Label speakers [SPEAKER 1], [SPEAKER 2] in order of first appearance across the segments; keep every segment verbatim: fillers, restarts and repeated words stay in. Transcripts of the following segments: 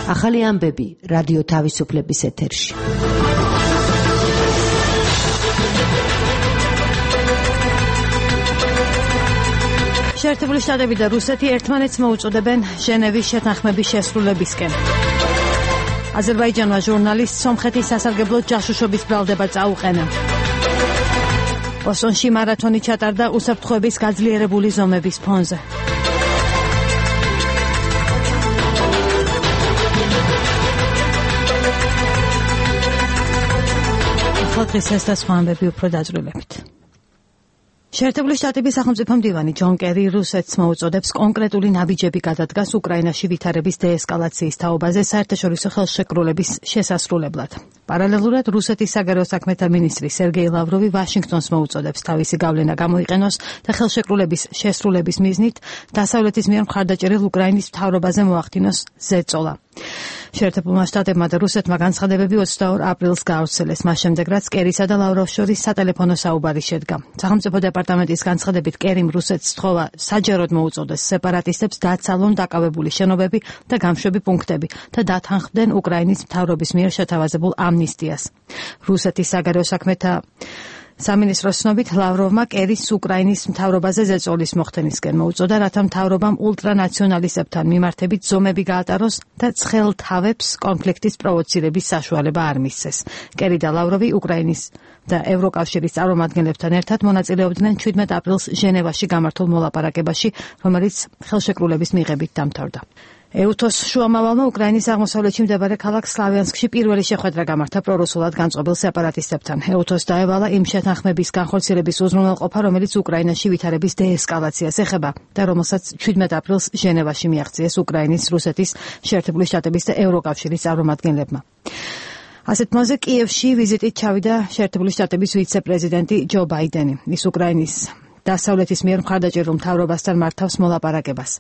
[SPEAKER 1] ახალი ამბები რადიო თავისუფლების ეთერში.
[SPEAKER 2] შეერთებული შტატები და რუსეთი ერთმანეთს მოუწოდებენ ჟენევის შეთანხმების შესრულებისკენ. აზერბაიჯანმა ჟურნალისტ სომხეთის სასარგებლო ჯაშუშობის ბრალდება წაუყენა. ბოსტონში მარათონი ჩატარდა უსაფრთხოების გაძლიერებული ზომების ფონზე. დღეს ეს და სხვა ამბები უფრო დაძრულებით. შეერთებული შტატების სახელმწიფო მდივანი ჯონ კერი რუსეთს მოუწოდებს კონკრეტული ნაბიჯები გადადგას უკრაინაში ვითარების დეესკალაციის თაობაზე საერთაშორისო ხელშეკრულების შესასრულებლად. პარალელურად რუსეთის საგარეო საქმეთა მინისტრი სერგეი ლავროვი ვაშინგტონს მოუწოდებს თავისი გავლენა გამოიყენოს და ხელშეკრულების შესრულების მიზნით დასავლეთის მიერ მხარდაჭერილ უკრაინის მთავრობაზე მოახდინოს ზეწოლა. შეერთებულმა შტატებმა და რუსეთმა განცხადებები ოცდაორ აპრილს გაავრცელეს, მას შემდეგ რაც კერისა და ლავროვის შორის სატელეფონო საუბარი შედგა. სახელმწიფო დეპარტამენტის განცხადებით კერიმ რუსეთს სთხოვა საჯაროდ მოუწოდეს სეპარატისტებს დაცალონ დაკავებული შენობები და გამშვები პუნქტები და დათანხმდნენ უკრაინის მთავრობის მიერ შეთავაზებულ ამნისტიას. რუსეთის საგარეო საქმეთა სამინისტროს ცნობით ლავროვმა კერის უკრაინის მთავრობაზე ზეწოლის მოხდენისკენ მოუწოდა, რათა მთავრობამ ულტრანაციონალისტებთან მიმართებით ზომები გაატაროს და ცხელ თავებს კონფლიქტის პროვოცირების საშუალება არ მისცეს. კერი და ლავროვი უკრაინის და ევროკავშირის წარმომადგენლებთან ერთად მონაწილეობდნენ ჩვიდმეტ აპრილს ჟენევაში გამართულ მოლაპარაკებაში, რომელიც ხელშეკრულების მიღებით დამთავრდა. ეუთოს შუამავალმა უკრაინის აღმოსავლეთში მდებარე ქალაქ სლავიანსკში პირველი შეხვედრა გამართა პრორუსულად განწყობილ სეპარატისტებთან. ეუთოს დაევალა იმ შეთანხმების განხორციელების უზრუნველყოფა, რომელიც უკრაინაში ვითარების დეესკალაციას ეხება და რომელსაც ჩვიდმეტ აპრილს ჟენევაში მიაღწიეს უკრაინის, რუსეთის, შეერთებული შტატების და ევროკავშირის წარმომადგენლებმა. ასეთ მოზე კიევში ვიზიტით ჩავიდა შეერთებული შტატების ვიცე-პრეზიდენტი ჯო ბაიდენი. ის უკრაინის დასავლეთის მიერ მხარდაჭერილ მთავრობასთან მართავს მოლაპარაკებას.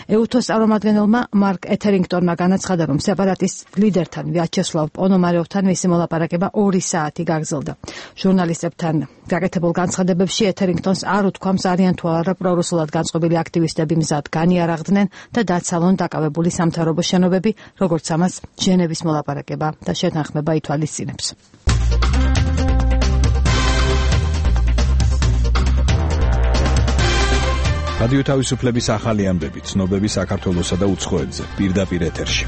[SPEAKER 2] ეუთოს წარმომადგენელმა მარკ ეთერინგტონმა განაცხადა, რომ სეპარატისტ ლიდერთან ვიაჩესლავ პონომარევთან მისი მოლაპარაკება ორი საათი გაგრძელდა. ჟურნალისტებთან გაკეთებულ განცხადებებში ეთერინგტონს არ უთქვამს არიან თუ არა პრორუსულად განწყობილი აქტივისტები მზად განიარაღდნენ და დაცალონ დაკავებული სამთავრობო შენობები, როგორც ამას ჟენევის მოლაპარაკება და შეთანხმება ითვალისწინებს.
[SPEAKER 3] რადიო თავისუფლების ახალი ამბები, ცნობები საქართველოსა და უცხოეთზე, პირდაპირ ეთერში.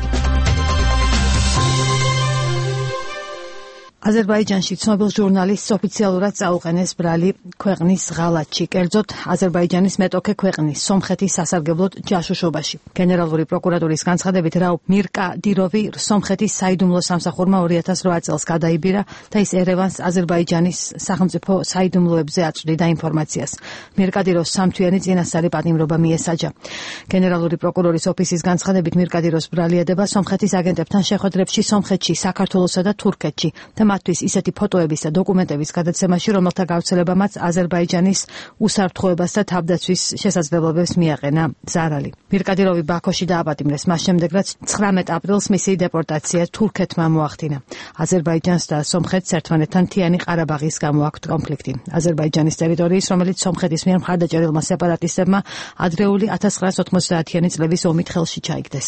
[SPEAKER 2] აზერბაიჯანში ცნობილ ჟურნალისტს ოფიციალურად წაუყენეს ბრალი ქვეყნის ღალატში, კერძოდ აზერბაიჯანის მეტოქე ქვეყნის სომხეთის სასარგებლოდ ჯაშუშობაში. გენერალური პროკურატურის განცხადებით რაუბ მირკადიროვი სომხეთის საიდუმლო სამსახურმა ორი ათას რვა წელს გადაიბირა და ის ერევანს აზერბაიჯანის სახელმწიფო საიდუმლოებზე აწვდიდა ინფორმაციას. მირკადიროვს სამთვიანი წინასწარი პატიმრობა მიესაჯა. გენერალური პროკურორის ოფისის განცხადებით მირკადიროვს ბრალი ედება სომხეთის აგენტებთან შეხვედრებში სომხეთში, საქართველოსა და თურქეთში და მათთვის ისეთი ფოტოების და დოკუმენტების გადაცემაში, რომელთა გავრცელებამაც აზერბაიჯანის უსაფრთხოებას და თავდაცვის შესაძლებლობებს მიაყენა ზარალი. მირკადიროვი ბაქოში დააპატიმრეს მას შემდეგ, რაც ცხრამეტ აპრილს მისი დეპორტაცია თურქეთმა მოახდინა. აზერბაიჯანს და სომხეთს ერთმანეთთან მთიანი ყარაბაღის გამო აქვთ კონფლიქტი. აზერბაიჯანის ტერიტორიის, რომელიც სომხეთის მიერ მხარდაჭერილმა სეპარატისტებმა ადრეული ათას ცხრაას ოთხმოცდაათიანი წლების ომით ხელში ჩაიგდეს.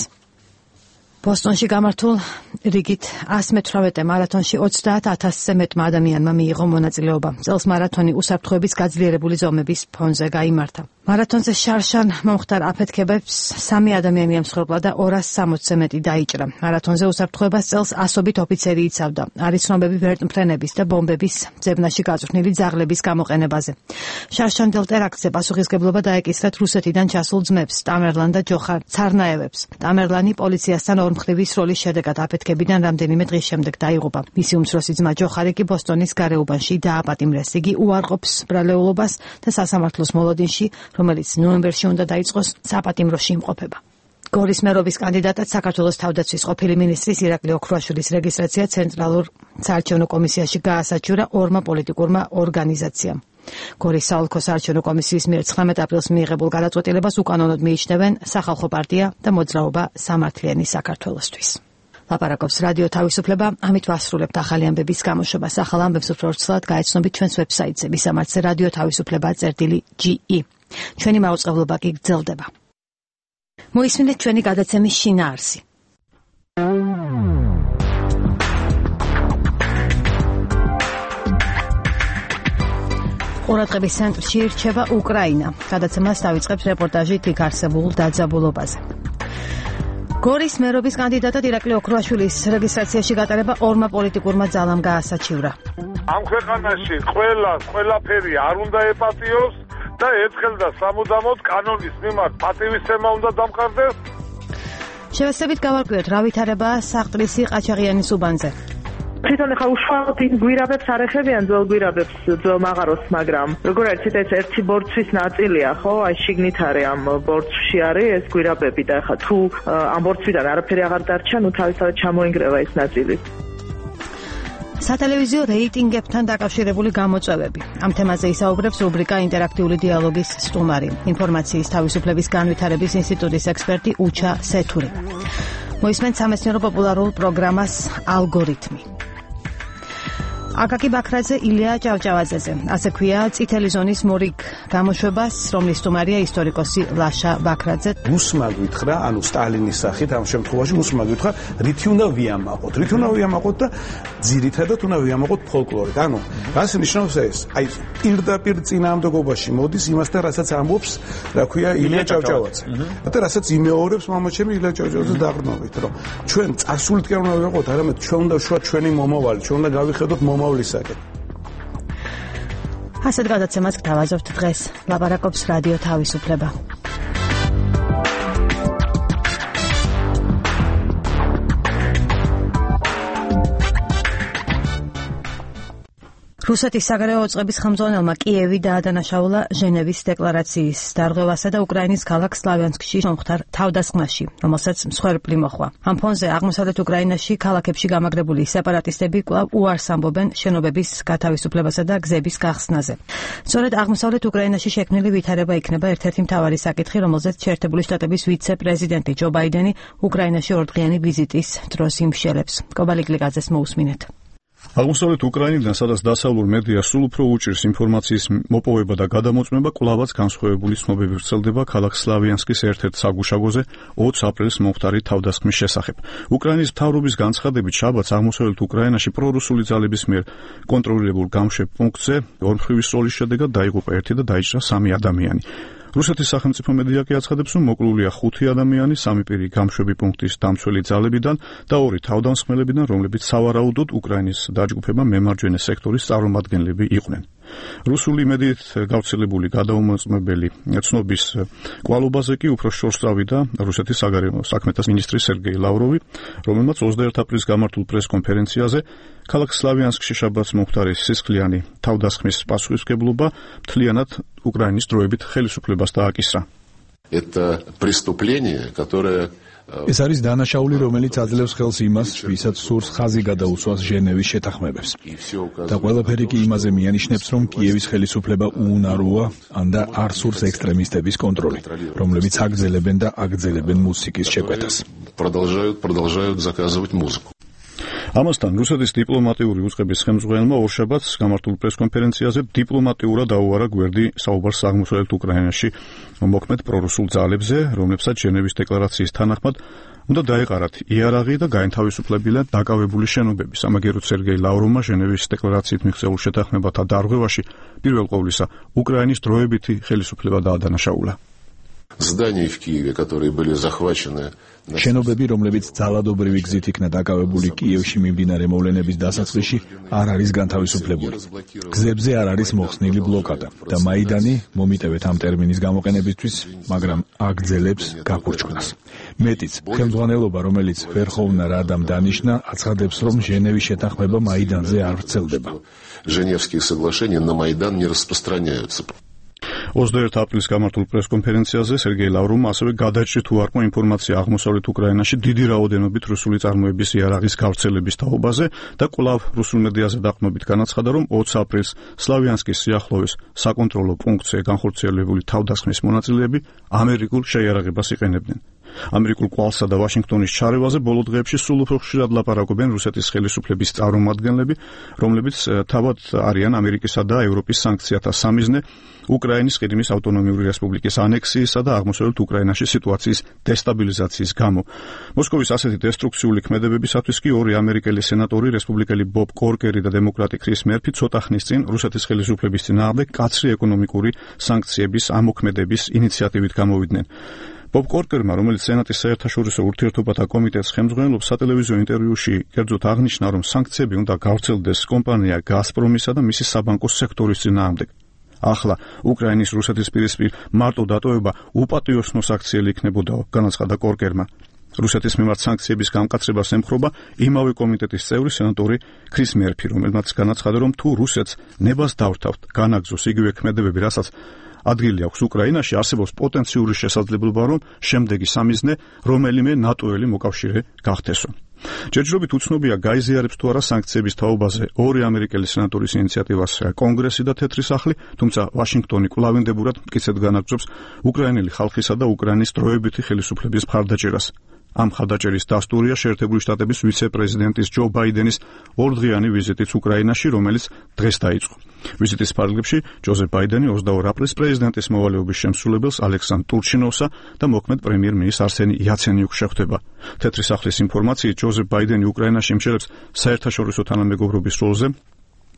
[SPEAKER 2] ბოსტონში გამართულ რიგით ასი მეთვრამეტე მარათონში ოცდაათ ათასზე მეტმა ადამიანმა მიიღო მონაწილეობა. წელს მარათონი უსაფრთხოების გაძლიერებული ზომების ფონზე გაიმართა. მარათონზე შარშან მომხდარ აფეთქებებს სამი ადამიანი ემსხვერპლა და ორას სამოცზე მეტი დაიჭრა. მარათონზე უსაფრთხოებას წელს ასობით ოფიცერი იცავდა. არის ცნობები ვერტმფრენების და ბომბების ძებნაში გაწვრთნილი ძაღლების გამოყენებაზე. შარშანდელ ტერაქტზე პასუხისგებლობა დაეკისრათ რუსეთიდან ჩასულ ძმებს, ტამერლან და ჯოხარ ცარნაევებს. ტამერლანი პოლიციასთან ორმხრივი სროლის შედეგად აფეთქებიდან რამდენიმე დღის შემდეგ დაიღუპა. მისი უმცროსი ძმა ჯოხარი კი ბოსტონის გარეუბანში დააპატიმრეს. იგი უარყოფს ბრალეულობას და სასამართლოს მოლოდინში, რომელიც ნოემბერში უნდა დაიწყოს, საპატიმროში იმყოფება. გორის მერობის კანდიდატად საქართველოს თავდაცვის ყოფილი მინისტრის ირაკლი ოქრუაშვილის რეგისტრაცია ცენტრალურ საარჩევნო კომისიაში გაასაჩურა ორმა პოლიტიკურმა ორგანიზაციამ. გორის საოლქო საარჩევნო კომისიის მიერ ცხრამეტ აპრილს მიიღებულ გადაწყვეტილებას უკანონოდ მიიჩნევენ სახალხო პარტია და მოძრაობა სამართლიანი საქართველოსთვის. ლაპარაკობს რადიო თავისუფლება, ამით ვასრულებთ ახალი ამბების გამოშვებას. ახალ ამბებს უფრო ვრცლად გაეცნობით ჩვენს ვებსაიტზე, ვისამართზე რადიო თავისუფლება წერტილი ჯი ი. ჩვენი მაუწყებლობა კი გრძელდება. მოისმინეთ ჩვენი გადაცემის შინაარსი. ყურადღების ცენტრში რჩება უკრაინა. გადაცემას დავიწყებს რეპორტაჟით იქ არსებულ დაძაბულობაზე. გორის მერობის კანდიდატად ირაკლი ოქროაშვილის რეგისტრაციაში გატარება ორმა პოლიტიკურმა ძალამ გაასაჩივრა.
[SPEAKER 4] ამ ქვეყანაში ყველა ყველაფერი არ უნდა ეპატიოს და ერთხელ და სამუდამოდ კანონის მიმართ პატივისცემა უნდა დამყარდეს.
[SPEAKER 2] შევეცდებით გავარკვიოთ, რა ვითარებაა საყდრისი ყაჩაღიანის უბანზე.
[SPEAKER 5] თვითონ ახლა უშუალოდ იმ გვირაბებს არ ეხებიან ძველ გვირაბებს, ძველ მაღაროს, მაგრამ როგორ არის ეს ერთი ბორცვის ნაწილია, ხო? აი შიგნით არის ამ ბორცვში არის ეს გვირაბები და ახლა თუ ამ ბორცვიდან არაფერი აღარ დარჩა, ნუ თავისთავად ჩამოინგრევა ეს ნაწილი.
[SPEAKER 2] სატელევიზიო რეიტინგებთან დაკავშირებული გამოწვევები. ამ თემაზე ისაუბრებს რუბრიკა ინტერაქტიული დიალოგის სტუმარი, ინფორმაციის თავისუფლების განვითარების ინსტიტუტის ექსპერტი უჩა სეთური. მოისმენთ სამეცნიერო პოპულარულ პროგრამას ალგორითმი. აკაკი ბაქრაძე, ილია ჭავჭავაძეზე. ასე ქვია წითელი ზონის მორიგ გამოშვებას, რომლის სტუმარია ისტორიკოსი ლაშა ბაქრაძე.
[SPEAKER 6] რუსმა გითხრა, ანუ სტალინის სახით ამ შემთხვევაში რუსმა გითხრა, რითი უნდა ვიამაყოთ. რითი უნდა ვიამაყოთ და ძირითადად უნდა ვიამაყოთ ფოლკლორით. ანუ რას ნიშნავს ეს? აი პირდაპირ წინააღმდეგობაში მოდის იმასთან, რასაც ამბობს, რა ქვია, ილია ჭავჭავაძე. და რასაც იმეორებს მამაჩემი ილია ჭავჭავაძე დაყრდნობით, რომ ჩვენ წარსულით კი არ უნდა ვიყოთ, არამედ ჩვენ უნდა შუა ჩვენი მომავალი, ჩვენ უნდა გავიხედოთ მომავლისაკენ.
[SPEAKER 2] ასეთ გადაცემას გთავაზობთ დღეს. ლაპარაკობს რადიო თავისუფლება. რუსეთის საგარეო უწყების ხელმძღვანელმა კიევი დაადანაშაულა ჟენევის დეკლარაციის დარღვევასა და უკრაინის ქალაქ სლავიანსკში მომხდარ თავდასხმაში, რომელსაც მსხვერპლი მოჰყვა. ამ ფონზე აღმოსავლეთ უკრაინაში ქალაქებში გამაგრებული სეპარატისტები კვლავ უარს ამბობენ შენობების გათავისუფლებასა და გზების გახსნაზე. სწორედ აღმოსავლეთ უკრაინაში შექმნილი ვითარება იქნება ერთ-ერთი მთავარი საკითხი, რომელზეც შეერთებული შტატების ვიცე-პრეზიდენტი ჯო ბაიდენი უკრაინაში ორდღიანი ვიზიტის დროს იმშელებს. კობალი გლიკაძეს მოусმინეთ.
[SPEAKER 7] აღმოსავლეთ უკრაინიდან, სადაც დასავლურ მედიას სულ უფრო უჭირს ინფორმაციის მოპოვება და გადამოწმება, კვლავაც განსხვავებული ცნობები ვრცელდება ქალაქ სლავიანსკის ერთ-ერთ საგუშაგოზე ოცი აპრილის მომხდარი თავდასხმის შესახებ. უკრაინის მთავრობის განცხადებით, შაბათს აღმოსავლეთ უკრაინაში პრორუსული ძალების მიერ კონტროლირებულ გამშვებ პუნქტზე ორმხრივი სროლის შედეგად დაიღუპა ერთი და დაიჭრა სამი ადამიანი. რუსეთის სახელმწიფო მედია კი აცხადებს, რომ მოკლულია ხუთი ადამიანი სამი პირი გამშვები პუნქტის დამცველი ძალებიდან და ორი თავდამსხმელებიდან, რომლებიც სავარაუდოდ უკრაინის დაჯგუფება მემარჯვენე სექტორის წარმომადგენლები იყვნენ. რუსული მედიით გავრცელებული გადაუმოწმებელი ცნობის კვალობაზე კი უფრო შორს წავიდა რუსეთის საგარეო საქმეთა მინისტრი სერგეი ლავროვი, რომელმაც ოცდაერთი აპრილის გამართულ პრეს-კონფერენციაზე ქალაქ სლავიანსკში შაბათს მომხდარი სისხლიანი თავდასხმის პასუხისმგებლობა მთლიანად უკრაინის დროებით ხელისუფლებას დააკისრა.
[SPEAKER 8] Это преступление, которое
[SPEAKER 3] ეს არის დანაშაული, რომელიც აძლევს ხელს იმას, ვისაც სურს ხაზი გადაუსვას ჟენევის შეთანხმებებს. და ყველაფერი კი იმაზე მიანიშნებს, რომ კიევის ხელისუფლება უუნაროა, ან და არ სურს ექსტრემისტების კონტროლი, რომლებიც აგრძელებენ და აგრძელებენ მუსიკის შეკვეთას.
[SPEAKER 8] продолжают продолжают заказывать музыку.
[SPEAKER 7] ამასთან რუსეთის დიპლომატიური უწყების ხელმძღვანელმა ორშაბათს გამართულ პრეს-კონფერენციაზე დიპლომატიურად დაუარა გვერდი საუბარს აღმოსავლეთ უკრაინაში მოქმედ პრორუსულ ძალებზე, რომლებსაც ჟენევის დეკლარაციის თანახმად უნდა დაეყარათ იარაღი და გაენთავისუფლებინათ დაკავებული შენობები. სამაგიეროდ სერგეი ლავროვმა ჟენევის დეკლარაციით მიღწეულ შეთანხმებათა დარღვევაში პირველ ყოვლისა უკრაინის დროებითი ხელისუფლება დაადანაშაულა.
[SPEAKER 8] Здания в Киеве, которые были захвачены.
[SPEAKER 3] შენობები, რომლებიც ძალადობრივი გზით იქნა დაკავებული კიევში მიმდინარე მოვლენების დასაწყისში, არ არის განთავისუფლებული. გზებზე არ არის მოხსნილი ბლოკადა და მაიდანი მომიტევეთ ამ ტერმინის გამოყენებისთვის, მაგრამ აგრძელებს გაფურჩქნას. მეტიც, ხელმძღვანელობა, რომელიც ვერხოვნა რადამ დანიშნა, აცხადებს, რომ ჟენევის შეთანხმება მაიდანზე არ ვრცელდება.
[SPEAKER 8] Женевские соглашения на Майдан не распространяются.
[SPEAKER 7] ოცდაერთი აპრილის გამართულ პრეს-კონფერენციაზე სერგეი ლავროვმა ასევე გადაჭრი თუ არ ყო ინფორმაცია აღმოსავლეთ უკრაინაში დიდი რაოდენობით რუსული წარმოების იარაღის გავრცელების თაობაზე და კვლავ რუსულ მედიაზე დაყრდნობით განაცხადა, რომ ოცი აპრილს სლავიანსკის სიახლოვეს საკონტროლო პუნქტზე განხორციელებული თავდასხმის მონაწილეები ამერიკულ შეიარაღებას იყენებდნენ. ამერიკულ კვალსა და ვაშინგტონის ჩარევაზე ბოლო დღეებში სულ უფრო ხშირად ლაპარაკობენ რუსეთის ხელისუფლების წარმომადგენლები, რომლებიც თავად არიან ამერიკისა და ევროპის სანქციათა სამიზნე უკრაინის ყირიმის ავტონომიური რესპუბლიკის ანექსიისა და აღმოსავლეთ უკრაინაში სიტუაციის დესტაბილიზაციის გამო. მოსკოვის ასეთი დესტრუქციული ქმედებებისათვის კი ორი ამერიკელი სენატორი, რესპუბლიკელი ბობ კორკერი და დემოკრატი ქრის მერფი ცოტა ხნის წინ რუსეთის ხელისუფლების წინააღმდეგ კაცრი ეკონომიკური სანქციების ამოქმედების ინიციატივით გამოვიდნენ. ბობ კორკერმა, რომელიც სენატის საერთაშორისო ურთიერთობათა კომიტეტს ხელმძღვანელობს, სატელევიზიო ინტერვიუში კერძოდ აღნიშნა, რომ სანქციები უნდა გავრცელდეს კომპანია გაზპრომისა და მისი საბანკო სექტორის წინააღმდეგ. ახლა უკრაინის რუსეთის პირისპირ მარტო დატოვება უპატიოსნოს აქციელი იქნებოდაო, განაცხადა კორკერმა. რუსეთის მიმართ სანქციების გამკაცრებას ემხრობა იმავე კომიტეტის წევრი სენატორი ქრის მერფი, რომელმაც განაცხადა, რომ თუ რუსეთს ნებას დავრთავთ, განაგზოს იგივე ქმედებები, რასაც ადგილი აქვს უკრაინაში, არსებობს პოტენციური შესაძლებლობა, რომ შემდეგი სამიზნე რომელიმე ნატოელი მოკავშირე გახდესო. ჯერჯერობით უცნობია გაიზიარებს თუ არა სანქციების თაობაზე ორი ამერიკელი სენატორის ინიციატივას კონგრესი და თეთრი სახლი, თუმცა ვაშინგტონი კვლავინდებურად მტკიცედ განაგრძობს უკრაინელი ხალხისა და უკრაინის დროებითი ხელისუფლების მხარდაჭერას. ამ მხარდაჭერის დასტურია შეერთებული შტატების ვიცე-პრეზიდენტის ჯო ბაიდენის ორდღიანი ვიზიტიც უკრაინაში, რომელიც დღეს დაიწყო. ვიზიტის ფარგლებში ჯოზეფ ბაიდენი ოცდაორ აპრილს პრეზიდენტის მოვალეობის შემსრულებელს ალექსანდრ ტურჩინოვსა და მოქმედ პრემიერ-მინისტრ არსენი იაცენიუკს შეხვდება. თეთრი სახლის ინფორმაციით ჯოზეფ ბაიდენი უკრაინაში იმჩნევს საერთაშორისო თანამეგობრობის როლზე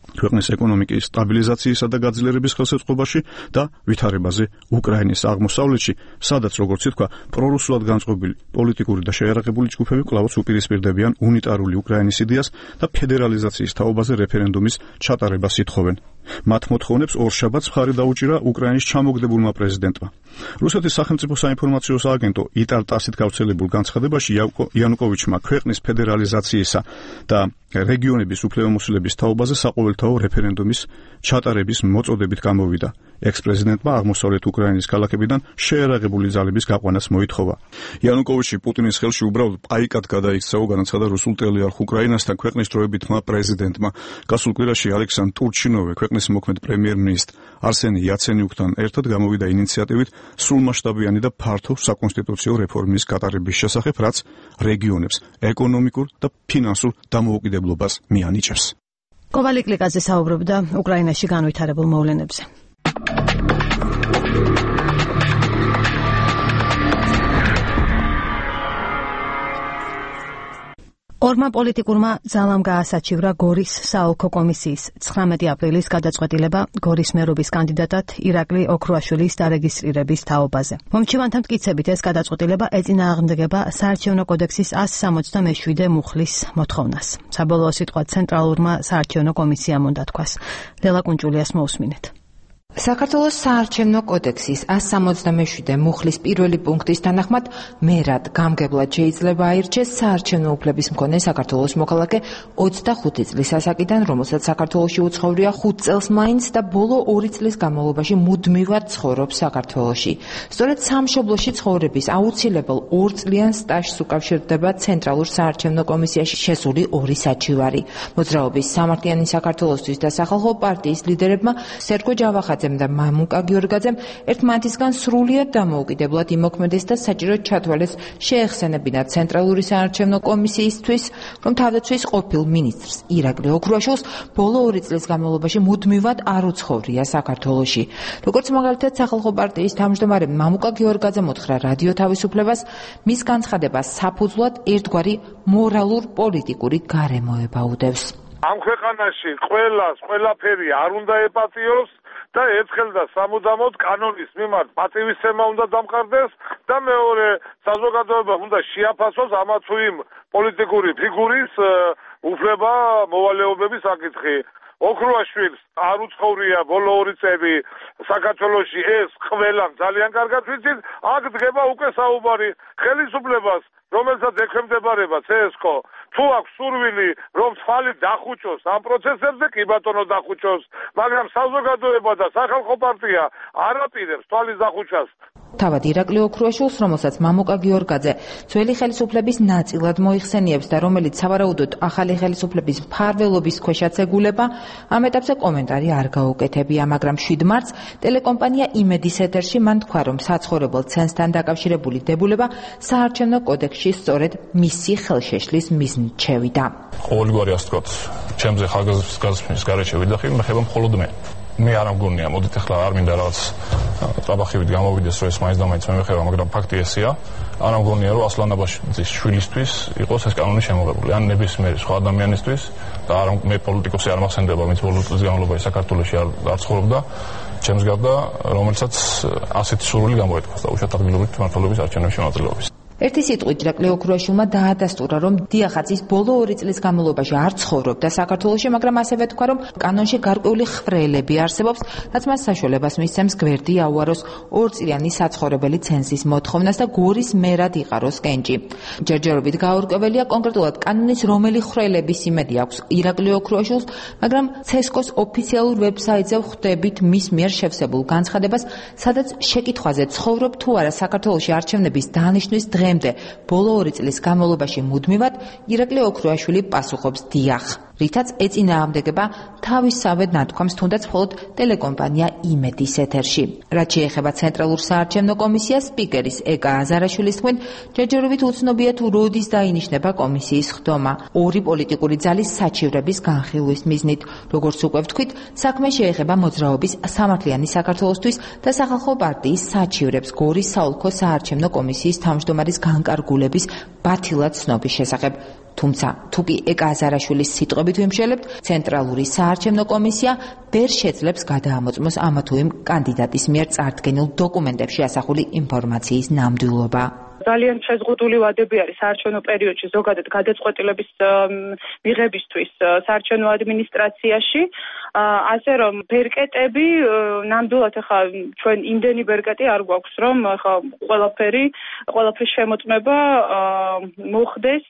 [SPEAKER 7] ქვეყნის ეკონომიკის სტაბილიზაციისა და გაძლიერების ხელშეწყობაში და ვითარებაზე უკრაინის აღმოსავლეთში, სადაც, როგორც ითქვა, პრორუსულად განწყობილი პოლიტიკური და შეიარაღებული ჯგუფები კვლავაც უპირისპირდებიან უნიტარული უკრაინის იდეას და ფედერალიზაციის თაობაზე რეფერენდუმის ჩატარებას ითხოვენ. მათ მოთხოვნებს ორშაბათს მხარი დაუჭირა უკრაინის ჩამოგდებულმა პრეზიდენტმა. რუსეთის სახელმწიფო საინფორმაციო სააგენტო იტარ-ტასით გავრცელებულ განცხადებაში იანუკოვიჩმა ქვეყნის ფედერალიზაციისა და რეგიონების უფლებამოსილების თაობაზე საყოველთაო რეფერენდუმის ჩატარების მოწოდებით გამოვიდა. ექს-პრეზიდენტმა აღმოსავლეთ უკრაინის ქალაქებიდან შეიარაღებული ძალების გაყვანას მოითხოვა. იანუკოვიჩი პუტინის ხელში უბრალოდ პაიკად გადაიქცეო, განაცხადა რუსულ ტელეარხ უკრაინასთან ქვეყნის დროებითმა პრეზიდენტმა. გასულ კვირაში ალექსანდრ ტურჩინოვი ქვეყნის მოქმედ პრემიერ-მინისტრ არსენი იაცენიუკთან ერთად გამოვიდა ინიციატივით სრულმასშტაბიანი და ფართო საკონსტიტუციო რეფორმის გატარების შესახებ, რაც რეგიონებს ეკონომიკურ და ფინანსურ დამოუკიდებლობას მიანიჭებს.
[SPEAKER 2] კოვალი კლიკაძე საუბრობდა უკრაინაში განვითარებულ მოვლენებზე. ორმა პოლიტიკურმა ძალამ გაასაჩივრა გორის საოლქო კომისიის ცხრამეტი აპრილის გადაწყვეტილება გორის მერობის კანდიდატად ირაკლი ოქრუაშვილის დარეგისტრირების თაობაზე. მომჩივანთა მტკიცებით ეს გადაწყვეტილება ეწინააღმდეგება საარჩევნო კოდექსის ასი სამოცდამეშვიდე მუხლის მოთხოვნას. საბოლოო სიტყვა ცენტრალურმა საარჩევნო კომისიამ უნდა თქვას. ლელა კუნჭულიას მოусმინეთ.
[SPEAKER 9] საქართველოს საარჩევნო კოდექსის ასი სამოცდამეშვიდე მუხლის პირველი პუნქტის თანახმად მერად გამგებლად შეიძლება აირჩეს საარჩევნო უფლების მქონე საქართველოს მოქალაქე ოცდახუთი წლის ასაკიდან, რომელსაც საქართველოში უცხოვრია ხუთ წელს მაინც და ბოლო ორი წლის განმავლობაში მუდმივად ცხოვრობს საქართველოში. სწორედ სამშობლოში ცხოვრების აუცილებელ ორწლიან სტაჟს უკავშირდება ცენტრალურ საარჩევნო კომისიაში შესული ორი საჩივარი. მოძრაობის სამართლიანი საქართველოსთვის და სახალხო პარტიის ლიდერებმა სერგო ჯავახაძე და მამუკა გიორგაძემ ერთმანეთისგან სრულიად დამოუკიდებლად იმოქმედეს და საჭიროდ ჩათვალეს შეეხსენებინათ ცენტრალური საარჩევნო კომისიისთვის, რომ თავდაცვის ყოფილ მინისტრს ირაკლი ოქრუაშვილს ბოლო ორი წლის განმავლობაში მუდმივად არ უცხოვრია საქართველოში. როგორც მაგალითად სახალხო პარტიის თავმჯდომარე მამუკა გიორგაძემ უთხრა რადიო თავისუფლებას, მის განცხადებას საფუძვლად ერთგვარი მორალურ პოლიტიკური გარემოება უდევს.
[SPEAKER 4] ამ ქვეყანაში ყველას ყველაფერი არ უნდა ეპატიოს და ერთხელ და სამუდამოდ კანონის მიმართ პატივისცემა უნდა დამყარდეს და მეორე საზოგადოება უნდა შეაფასოს ამა თუ იმ პოლიტიკური ფიგურის უფლება მოვალეობების საკითხი. ოქრუაშვილს არ უცხოვრია ბოლო ორი წელი საქართველოში, ეს ყველამ ძალიან კარგად ვიცით. აქ დგება უკვე საუბარი ხელისუფლებას, რომელსაც ექვემდებარება ცესკო. თუ აქვს სურვილი, რომ თვალი დახუჭოს ამ პროცესებზე, კი ბატონო დახუჭოს, მაგრამ საზოგადოება და სახალხო პარტია არ აპირებს თვალის დახუჭას.
[SPEAKER 9] თავად ირაკლი ოქრუაშვილს, რომელსაც მამუკა გიორგაძე ძველი ხელისუფლების ნაწილად მოიხსენიებს და რომელიც სავარაუდოდ ახალი ხელისუფლების მფარველობის ქვეშაც ეგულება, ამ ეტაპზე კომენტარი არ გაუკეთებია, მაგრამ შვიდ მარტს ტელეკომპანია იმედის ეთერში მან თქვა, რომ საცხოვრებელ ცენზთან დაკავშირებული დებულება საარჩევნო კოდექსში სწორედ მისი ხელშეშლის მიზნით შევიდა.
[SPEAKER 10] ყოველგვარი ასე ვთქვათ, ჩემზე ხალხის გაზრდის გარეშე ვიდახი, მე ხება მხოლოდ მე. მე არ ამგონია, მოდით ახლა არ მინდა რაღაც ტრაბახივით გამოვიდეს, რომ ეს მაინც და მაინც მე მეხება, მაგრამ ფაქტი ესეა. არ ამგონია, რომ ასლან აბაშიძის შვილისთვის იყოს ეს კანონი შემოღებული, ან ნებისმიერი სხვა ადამიანისთვის და არ მე პოლიტიკოსი არ მახსენდება, ვინც ბოლო წლის განმავლობაში საქართველოში არ არ ცხოვრობდა, ჩემს გარდა, რომელსაც ასეთი სურვილი გამოეთქვას და უშუალოდ ადგილობრივი მმართველობის არჩევნებში მონაწილეობის.
[SPEAKER 9] ერთი სიტყვით ირაკლი ოქრუაშვილმა დაადასტურა, რომ დიახაცის ბოლო ორი წლის განმავლობაში არ ცხოვრობდა საქართველოში, მაგრამ ასევე თქვა, რომ კანონში გარკვეული ხრელები არსებობს, რაც მას საშუალებას მისცემს გვერდი აუაროს ორწლიანი საცხოვრებელი ცენზის მოთხოვნას და გორის მერად იყაროს კენჭი. ჯერჯერობით გაურკვეველია კონკრეტულად კანონის რომელი ხრელების იმედი აქვს ირაკლი ოქრუაშვილს, მაგრამ ცესკოს ოფიციალურ ვებსაიტზე ხვდებით მის მიერ შევსებულ განცხადებას, სადაც შეკითხვაზე ცხოვრობ თუ არა საქართველოში არჩევნების დანიშნვის დღემდე ბოლო ორი წლის განმავლობაში მუდმივად ირაკლი ოქრუაშვილი პასუხობს დიახ, რითაც ეწინააღმდეგება თავისავე ნათქვამს თუნდაც მხოლოდ ტელეკომპანია იმედის ეთერში. რაც შეეხება ცენტრალურ საარჩევნო კომისიას, სპიკერის ეკა აზარაშვილის თქმით, ჯერჯერობით უცნობია თუ როდის დაინიშნება კომისიის ხდომა ორი პოლიტიკური ძალის საჩივრების განხილვის მიზნით. როგორც უკვე ვთქვით, საქმე შეეხება მოძრაობის სამართლიანი საქართველოსთვის და სახალხო პარტიის საჩივრებს გორის საოლქო საარჩევნო კომისიის თავმჯდომარის განკარგულების ბათილად ცნობის შესახებ. თუმცა, თუ კი ეკა აზარაშვილის სიტყვებით ვიმშელებთ, ცენტრალური საარჩევნო კომისია ვერ შეძლებს გადაამოწმოს ამა თუ იმ კანდიდატის მიერ წარდგენილ დოკუმენტებში ასახული ინფორმაციის ნამდვილობა.
[SPEAKER 11] ძალიან შეზღუდული ვადები არის საარჩევნო პერიოდში ზოგადად გადაწყვეტილების მიღებისთვის საარჩევნო ადმინისტრაციაში, ასე რომ ბერკეტები ნამდვილად ახლა ჩვენ იმდენი ბერკეტი არ გვაქვს, რომ ახლა ყველაფერი ყველაფრის შემოწმება მოხდეს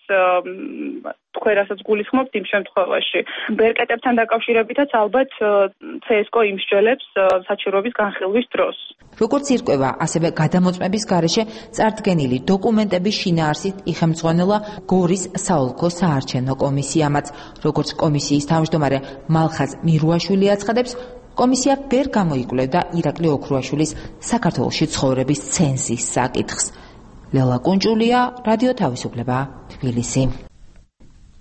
[SPEAKER 11] თქვენ რასაც გულისხმობთ იმ შემთხვევაში. ბერკეტებთან დაკავშირებითაც ალბათ ცესკო იმსჯელებს საჩივრების განხილვის დროს.
[SPEAKER 9] როგორც ირკვევა, ასევე გადამოწმების გარეშე წარდგენილი დოკუმენტების შინაარსით იხემძღვანელა გორის საოლქო საარჩევნო კომისიამაც. როგორც კომისიის თავმჯდომარე მალხაზ მირუაშვილი აცხადებს, კომისია ვერ გამოიკვლევდა ირაკლი ოქრუაშვილის საქართველოში ცხოვრების ცენზის საკითხს. ლელა კუნჭულია, რადიო თავისუფლება, თბილისი.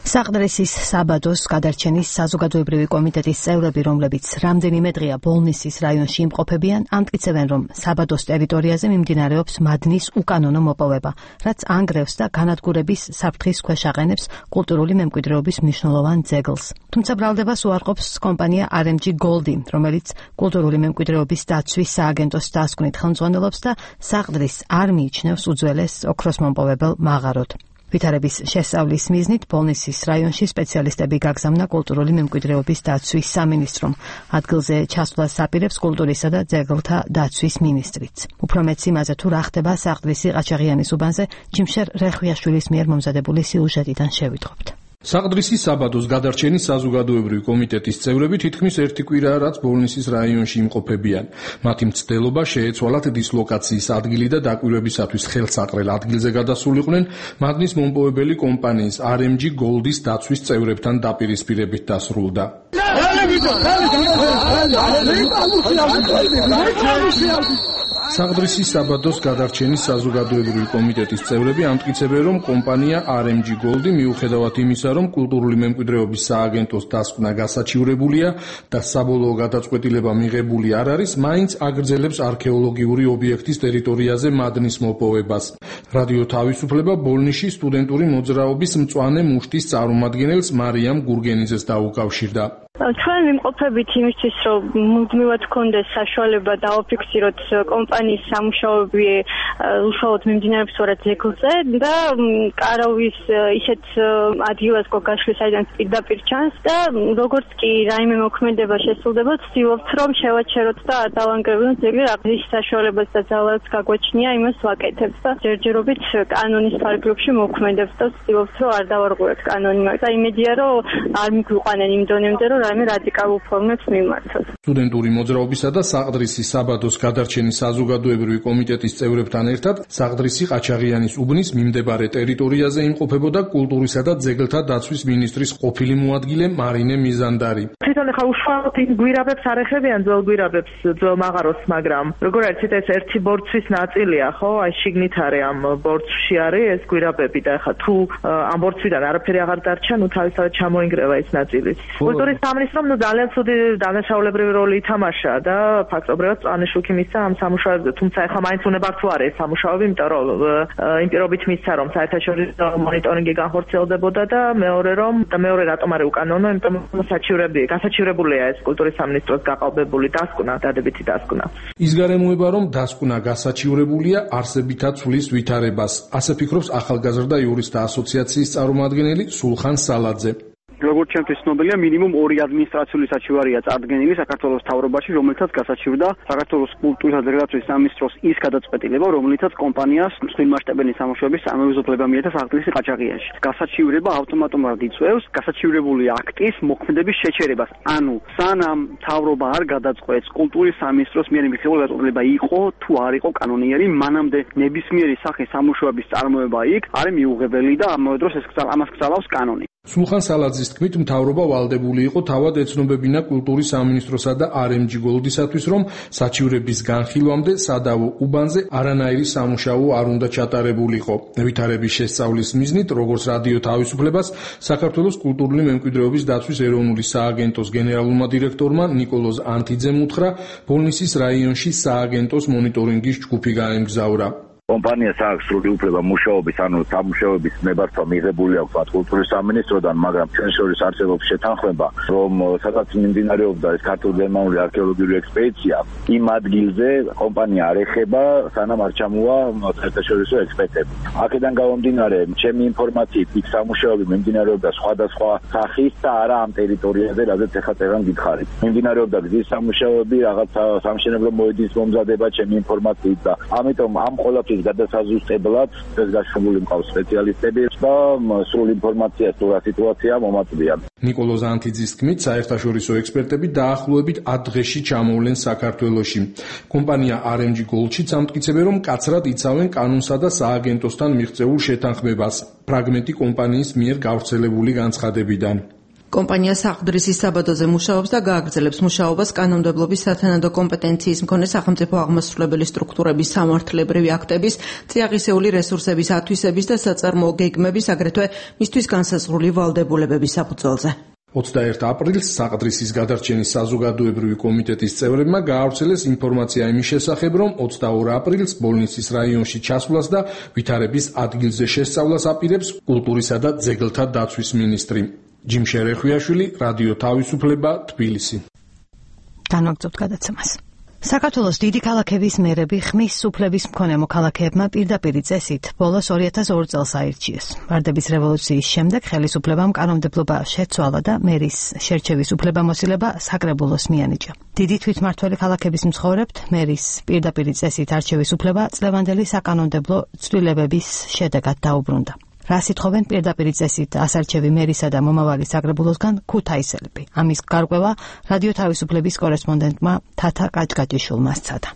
[SPEAKER 2] საყდრისის საბადოს გადარჩენის საზოგადოებრივი კომიტეტის წევრები, რომლებიც რამდენიმე დღეა ბოლნისის რაიონში იმყოფებიან, ამტკიცებენ, რომ საბადოს ტერიტორიაზე მიმდინარეობს მადნის უკანონო მოპოვება, რაც ანგრევს და განადგურების საფრთხის ქვეშ აყენებს კულტურული მემკვიდრეობის მნიშვნელოვან ძეგლს. თუმცა ბრალდებას უარყოფს კომპანია არ ემ ჯი Gold-ი, რომელიც კულტურული მემკვიდრეობის დაცვის სააგენტოს დასკვნით ხელმძღვანელობს და საყდრის არ მიიჩნევს უძველეს ოქროს მომპოვებელ მაღაროდ. ვითარების შესწავლის მიზნით ბოლნისის რაიონში სპეციალისტები გაგზავნა კულტურული მემკვიდრეობის დაცვის სამინისტრომ. ადგილზე ჩასვლას აპირებს კულტურისა და ძეგლთა დაცვის მინისტრიც. უფრო მეტს იმაზე თუ რა ხდება საყდრისი ყაჩაღიანის უბანზე, ჯიმშერ რეხვიაშვილის მიერ მომზადებული სიუჟეტიდან შევიტყობთ.
[SPEAKER 12] საყდრისის საბადოს გადარჩენის საზოგადოებრივი კომიტეტის წევრები თითქმის ერთი კვირაა, რაც ბოლნისის რაიონში იმყოფებიან. მათი მცდელობა შეეცვალათ დისლოკაციის ადგილი და დაკვირვებისათვის ხელსაყრელ ადგილზე გადასულიყვნენ მადნის მომპოვებელი კომპანიის არ ემ ჯი Gold-ის დაცვის წევრებთან დაპირისპირებით დასრულდა. საყდრისის საბადოს გადარჩენის საზოგადოებრივი კომიტეტის წევრები ამტკიცებენ, რომ კომპანია არ ემ ჯი Gold-ი მიუხედავად იმისა, რომ კულტურული მემკვიდრეობის სააგენტოს დასკვნა გასაჩივრებულია და საბოლოო გადაწყვეტილება მიღებული არ არის, მაინც აგრძელებს არქეოლოგიური ობიექტის ტერიტორიაზე მადნის მოპოვებას. რადიო თავისუფლება ბოლნისში სტუდენტური მოძრაობის მწვანე მუშტის წარმომადგენელს მარიამ გურგენიძეს დაუკავშირდა.
[SPEAKER 13] ჩვენ ვიმყოფებით იმისთვის, რომ მუდმივად გქონდეს საშუალება დააფიქსიროთ კომპანიის სამუშაოები უშუალოდ მიმდინარეობს სწორედ ძეგლზე და კარავის ისეთ ადგილას გაშლის, საიდან პირდაპირ ჩანს და როგორც კი რაიმე მოქმედება შესრულდება, ვცდილობთ, რომ შევაჩეროთ და არ დავანგრევინოთ ძეგლი, რა საშუალებას და ძალას გაგვაჩნია, იმას ვაკეთებთ და ჯერჯერობით კანონის ფარგლებში მოქმედებს და ვცდილობთ, რომ არ დავარღვევთ კანონი, მაგრამ იმედია, რომ არ მიგვიყვანენ იმ დონემდე, რომ რაიმე რადიკალურ ფორმებს მიმართოს.
[SPEAKER 12] სტუდენტური მოძრაობისა და საყდრისის საბადოს გადარჩენის საზოგადოებრივი კომიტეტის წევრებთან ერთად საყდრისი ყაჩაღიანის უბნის მიმდებარე ტერიტორიაზე იმყოფებოდა კულტურისა და ძეგლთა დაცვის მინისტრის ყოფილი მოადგილე მარინე მიზანდარი.
[SPEAKER 5] თვითონ ხა უშუალოდ იმ გვირაბებს არ ეხებიან ძველ გვირაბებს, ძველ მაღაროს, მაგრამ როგორ არის ეს ერთი ბორცვის ნაწილია, ხო? აი შიგნით არის ამ ბორცვში არის ეს გვირაბები და ხა თუ ამ ბორცვიდან არაფერი აღარ დარჩა, ნუ თავისთავად ჩამოინგრევა ეს ნაწილიც. კულტურის სამინისტრომ ნუ ძალიან ცუდი დანაშაულებრივი როლი ითამაშა და ფაქტობრივად წანიშუქი მისცა ამ სამუშაოებზე, თუმცა ეხლა მაინც უნებართ თუ არის სამუშაოები, იმიტომ რომ იმ პირობით მისცა რომ საერთაშორისო მონიტორინგი განხორციელდებოდა და მეორე რომ და მეორე რატომ არის უკანონო, იმიტომ რომ საჩივრები, გასაჩივრებულია ეს კულტურის სამინისტროს გაყალბებული დასკვნა, დადებითი დასკვნა.
[SPEAKER 12] ის გარემოება რომ დასკვნა გასაჩივრებულია არსებითაც ცვლის ვითარებას. ასე ფიქრობს ახალგაზრდა იურისტთა ასოციაციის წარმომადგენელი სულხან სალაძე.
[SPEAKER 14] როგორც ჩემთვის ცნობილია, მინიმუმ ორი ადმინისტრაციული საჩივარია წარდგენილი საქართველოს მთავრობაში, რომელთაც გასაჩივრდა საქართველოს კულტურის და ძეგლდაცვის სამინისტროს ის გადაწყვეტილება, რომელიცაც კომპანიას მსხვილმასშტაბიანი სამუშაოების წარმოუზრდება მიეცა საყდრისი ყაჩაღიანში. გასაჩივრება ავტომატურად იწვევს გასაჩივრებული აქტის მოქმედების შეჩერებას. ანუ სანამ მთავრობა არ გადაწყვეტს კულტურის სამინისტროს მიერ მიღებული გადაწყვეტილება იყო თუ არ იყო კანონიერი, მანამდე ნებისმიერი სახის სამუშაოების წარმოება იქ არის მიუღებელი და ამავე დროს ეს ამას გწალავს კანონი.
[SPEAKER 12] სულხან სალაძის თქმით, მთავრობა ვალდებული იყო თავად ეცნობებინა კულტურის სამინისტროსა და არ ემ ჯი გოლდისათვის, რომ საჩივრების განხილვამდე სადავო უბანზე არანაირი სამუშაო არ უნდა ჩატარებულიყო. ვითარების შესწავლის მიზნით, როგორც რადიო თავისუფლებას, საქართველოს კულტურული მემკვიდრეობის დაცვის ეროვნული სააგენტოს გენერალურმა დირექტორმა ნიკოლოზ ანთიძემ უთხრა, ბოლნისის რაიონში სააგენტოს მონიტორინგის ჯგუფი გაემგზავრა.
[SPEAKER 15] კომპანიას აქვს სრული უფლება მუშაობის, ანუ სამუშაოების ნებართვა მიღებული აქვს კულტურის სამინისტროდან, მაგრამ ჩვენ შორის არსებობს შეთანხმება, რომ სადაც მიმდინარეობდა ეს ქართულ-გერმანული არქეოლოგიური ექსპედიცია, იმ ადგილზე კომპანია არ ეხება, სანამ არ ჩამოვა საერთაშორისო ექსპერტები. აქედან გამომდინარე, ჩემი ინფორმაციით, იქ სამუშაოები მიმდინარეობდა სხვადასხვა სახის და არა ამ ტერიტორიაზე, რადგან ეხლა წერან გითხარით. მიმდინარეობდა გზის სამუშაოები, რაღაც სამშენებლო მოედნის მომზადება, ჩემი ინფორმაციით და ამიტომ ამ ყველაფრის გადასაზუსტებლად ეს გაშრომული მყავს სპეციალისტები და სრულ ინფორმაციას თუ რა სიტუაცია მომაწვდიან.
[SPEAKER 12] ნიკოლოზ ანთიძის თქმით, საერთაშორისო ექსპერტები დაახლოებით ათ დღეში ჩამოვლენ საქართველოში. კომპანია არ ემ ჯი გოლდშიც ამტკიცებენ, რომ კაცრად იცავენ კანონსა და სააგენტოსთან მიღწეულ შეთანხმებას, ფრაგმენტი კომპანიის მიერ გავრცელებული განცხადებიდან.
[SPEAKER 16] კომპანია საყდრისის საბადოზე მუშაობს და გააგრძელებს მუშაობას კანონმდებლობის სათანადო კომპეტენციის მქონე სახელმწიფო აღმასრულებელი სტრუქტურების სამართლებრივი აქტების, წიაღისეული რესურსების ათვისების და საწარმოო გეგმების, აგრეთვე მისთვის განსაზღვრული ვალდებულებების საფუძველზე.
[SPEAKER 12] ოცდაერთი აპრილს საყდრისის გადარჩენის საზოგადოებრივი კომიტეტის წევრებმა გაავრცელეს ინფორმაცია იმის შესახებ, რომ ოცდაორი აპრილს ბოლნისის რაიონში ჩასვლას და ვითარების ადგილზე შესწავლას აპირებს კულტურისა და ძეგლთა დაცვის მინისტრი. ჯიმშერ ეხვიაშვილი, რადიო თავისუფლება, თბილისი.
[SPEAKER 2] განვაგრძობთ გადაცემას. საქართველოს დიდი ქალაქების მერები ხმის სუფლების მქონე მოქალაქეებმა პირდაპირი წესით ბოლოს ორი ათას ორი წელს აირჩიეს. ვარდების რევოლუციის შემდეგ ხელისუფლებამ კანონმდებლობა შეცვალა და მერის შერჩევის უფლებამოსილება საკრებულოს მიანიჭა. დიდი თვითმმართველი ქალაქების მცხოვრებთ მერის პირდაპირი წესით არჩევის უფლება წლევანდელი საკანონმდებლო ცვლილებების შედეგად დაუბრუნდა. რა სიტყვენ პირდაპირი წესით ასარჩევი მერისა და მომავალი საკრებულოსგან ქუთაისელები. ამის გარკვევა რადიო თავისუფლების კორესპონდენტმა თათა კაჭკაჭიშვილმა სცადა.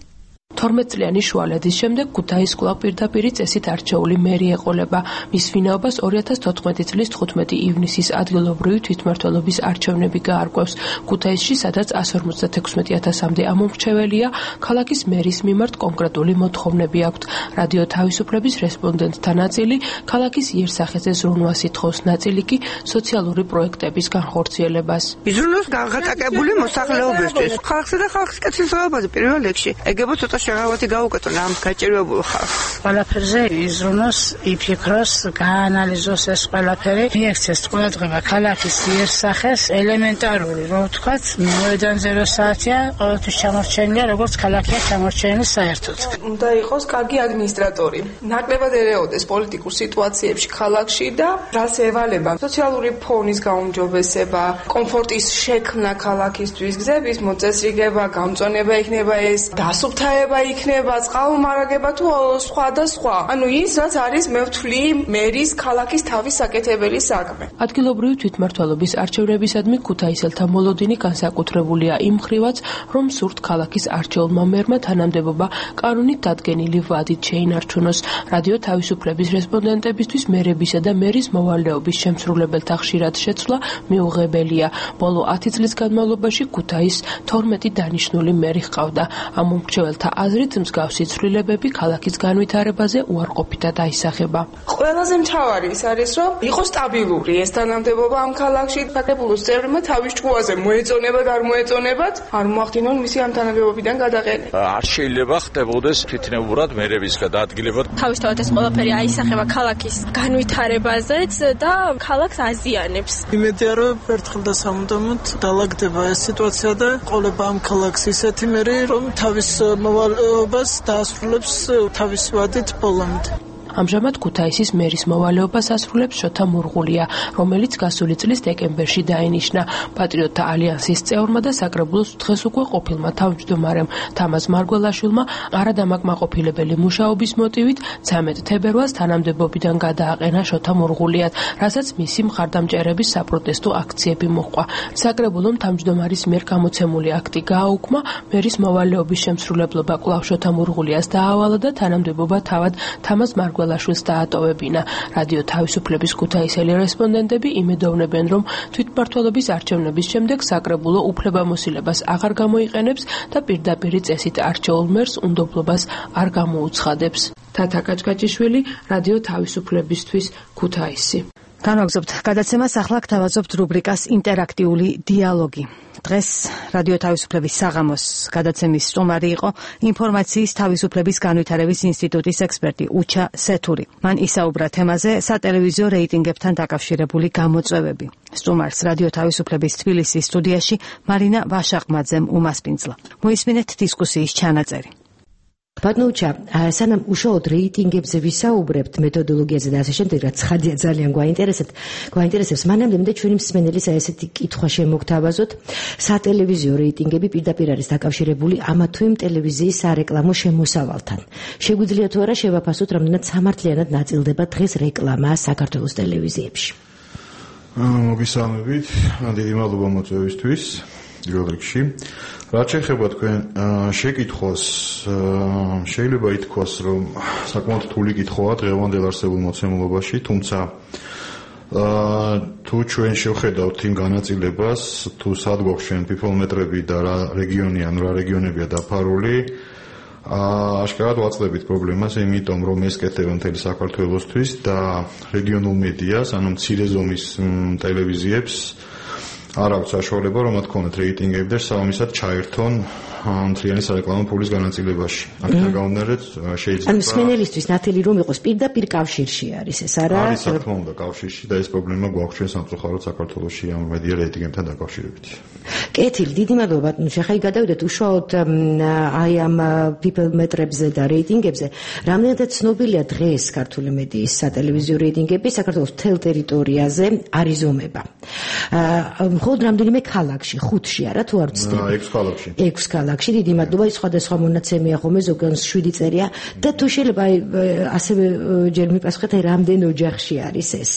[SPEAKER 17] თორმეტ წლიანი შუალედის შემდეგ ქუთაის კვლავ პირდაპირი წესით არჩეული მერი ეყოლება. მის ვინაობას ორი ათას თოთხმეტი წლის თხუთმეტი ივნისის ადგილობრივი თვითმმართველობის არჩევნები გაარკვევს. ქუთაისში, სადაც ასი ორმოცდათექვსმეტი ათასამდე ამომრჩეველია, ქალაქის მერის მიმართ კონკრეტული მოთხოვნები აქვთ. რადიო თავისუფლების რესპონდენტთა ნაწილი ქალაქის იერსახეზე ზრუნვას ითხოვს, ნაწილი კი სოციალური პროექტების განხორციელებას.
[SPEAKER 18] იზრუნოს განხატაკებული მოსახლეობისთვის. ხალხსა და ხალხის კეთილდღეობაზე პირველ რიგში. ეგებო ცოტა შეღავათი გაუკეთონ ამ გაჭირვებულ ხალხს.
[SPEAKER 19] ყველაფერზე იზრუნოს, იფიქროს, გაანალიზოს ეს ყველაფერი, მიექცეს ყურადღება ქალაქის იერსახეს, ელემენტარული, რომ ვთქვათ, მოედანზე რო საათია, ყოველთვის ჩამორჩენილია, როგორც ქალაქია ჩამორჩენილი საერთოდ.
[SPEAKER 20] უნდა იყოს კარგი ადმინისტრატორი. ნაკლებად ერეოდეს პოლიტიკურ სიტუაციებში ქალაქში და რას ევალება? სოციალური ფონის გაუმჯობესება, კომფორტის შექმნა ქალაქისთვის, გზების მოწესრიგება, გამწვანება იქნება ეს, დასუფთავება მრავლდება იქნება, წყალმომარაგება თუ სხვა და სხვა. ანუ ის რაც არის მე ვთვლი მერის ქალაქის თავის საკეთებელი საქმე.
[SPEAKER 17] ადგილობრივი თვითმმართველობის არჩევნებისადმი ქუთაისელთა მოლოდინი განსაკუთრებულია იმ მხრივაც, რომ სურთ ქალაქის არჩეულმა მერმა თანამდებობა კანონით დადგენილი ვადით შეინარჩუნოს. რადიო თავისუფლების რესპონდენტებისთვის მერებისა და მერის მოვალეობის შემსრულებელთა ხშირად შეცვლა მიუღებელია. ბოლო ათი წლის განმავლობაში ქუთაის თორმეტი დანიშნული მერი ჰყავდა. ამ მომრჩეველთა აზრით მსგავსი ცვლილებები ქალაქის განვითარებაზე უარყოფითად აისახება.
[SPEAKER 20] ყველაზე მთავარი ის არის, რომ იყოს სტაბილური ეს თანამდებობა ამ ქალაქში. საკრებულოს წევრებმა თავის ჭკუაზე მოეწონება და არ მოეწონებათ, არ მოახდინონ მისი ამ თანამდებობიდან გადაყენება.
[SPEAKER 21] არ შეიძლება ხდებოდეს თვითნებურად მერების გადაადგილება.
[SPEAKER 22] თავისთავად ეს ყველაფერი აისახება ქალაქის განვითარებაზეც და ქალაქს აზიანებს.
[SPEAKER 23] იმედია, რომ ერთხელ და სამუდამოდ დაალაგდება ეს სიტუაცია და ყოლება ამ ქალაქს ისეთი მერი, რომ თავის მოვალეობას დაასრულებს თავის ვადით ბოლომდე.
[SPEAKER 17] ამჟამად ქუთაისის მერის მოვალეობას ასრულებს შოთა მურღულია, რომელიც გასული წლის დეკემბერში დაინიშნა. პატრიოტთა ალიანსის წევრმა და საკრებულოს დღეს უკვე ყოფილმა თავმჯდომარემ თამაზ მარგველაშვილმა არადამაკმაყოფილებელი მუშაობის მოტივით ცამეტ თებერვალს თანამდებობიდან გადააყენა შოთა მურღულიად, რასაც მისი მხარდამჭერების საპროტესტო აქციები მოჰყვა. საკრებულომ თავმჯდომარის მიერ გამოცემული აქტი გააუქმა, მერის მოვალეობის შემსრულებლობა კვლავ შოთა მურღულიას დაავალა და თანამდებობა თავად თამაზ მარგველაშვილს ლაშვილს დაატოვებინა. რადიო თავისუფლების ქუთაისელი რესპონდენტები იმედოვნებენ, რომ თვითმმართველობის არჩევნების შემდეგ საკრებულო უფლებამოსილებას აღარ გამოიყენებს და პირდაპირი წესით არჩეულ მერს უნდობლობას არ გამოუცხადებს. თათა კაჭკაჭიშვილი, რადიო თავისუფლებისთვის, ქუთაისი.
[SPEAKER 2] განვაგრძობთ გადაცემას, ახლა გთავაზობთ რუბრიკას ინტერაქტიული დიალოგი. დღეს რადიო თავისუფლების საღამოს გადაცემის სტუმარი იყო ინფორმაციის თავისუფლების განვითარების ინსტიტუტის ექსპერტი უჩა სეთური. მან ისაუბრა თემაზე სატელევიზიო რეიტინგებთან დაკავშირებული გამოწვევები. სტუმარს რადიო თავისუფლების თბილისის სტუდიაში მარინა ვაშაყმაძემ უმასპინძლა. მოისმინეთ დისკუსიის ჩანაწერი.
[SPEAKER 1] ბატონოჩა, სანამ უშუალოდ რეიტინგებზე ვისაუბრებთ, მეთოდოლოგიაზე და ასე შემდეგ, რაც ხადია ძალიან გვაინტერესებს, გვაინტერესებს, მანამდე მინდა ჩვენი მსმენელის ესეთი კითხვა შემოგთავაზოთ. სატელევიზიო რეიტინგები პირდაპირ არის დაკავშირებული ამა თუ იმ ტელევიზიის სარეკლამო შემოსავალთან. შეგვიძლია თუ არა შევაფასოთ, რამდენად სამართლიანად ნაწილდება დღეს რეკლამა საქართველოს ტელევიზიებში?
[SPEAKER 24] მოგესალმებით, დიდი მადლობა მოწვევისთვის. რიგში რაც შეეხება თქვენ შეკითხვას, შეიძლება ითქვას, რომ საკმაოდ რთული კითხვაა დღევანდელ არსებულ მოცემულობაში, თუმცა თუ ჩვენ შევხედავთ იმ განაწილებას, თუ სად გვაქვს პიფოლმეტრები და რა რეგიონი ან რა რეგიონებია დაფარული, აშკარად ვაწყდებით პრობლემას, იმიტომ რომ ეს კეთება მთელი საქართველოსთვის და რეგიონულ მედიას, ანუ მცირე ზომის ტელევიზიებს არ აქვს საშუალება, რომ მათ ქონათ რეიტინგები და სამისად ჩაერთონ მთლიანი სარეკლამო ფულის განაწილებაში. აქედან გამომდინარე შეიძლება
[SPEAKER 1] ანუ მსმენელისთვის ნათელი რომ იყოს პირდაპირ კავშირში არის ეს არა?
[SPEAKER 24] არის თქმა უნდა კავშირში და ეს პრობლემა გვაქვს ჩვენ სამწუხაროდ საქართველოში ამ მედია რეიტინგებთან დაკავშირებით.
[SPEAKER 1] კეთილი, დიდი მადლობა ბატონო. ხა გადავიდეთ უშუალოდ აი ამ პიფოლმეტრებზე და რეიტინგებზე. რამდენადაც ცნობილია დღეს ქართული მედიის სატელევიზიო რეიტინგები საქართველოს მთელ ტერიტორიაზე არიზომება. მხოლოდ რამდენიმე ქალაქში, ხუთში არა თუ არ ვცდები?
[SPEAKER 24] ექვს ქალაქში.
[SPEAKER 1] ექვს ქალაქში, დიდი მადლობა, ის სხვადასხვა მონაცემია ხოლმე, ზოგადად შვიდი წერია და თუ შეიძლება ასევე ჯერ მიპასუხეთ, აი რამდენ ოჯახში არის ეს?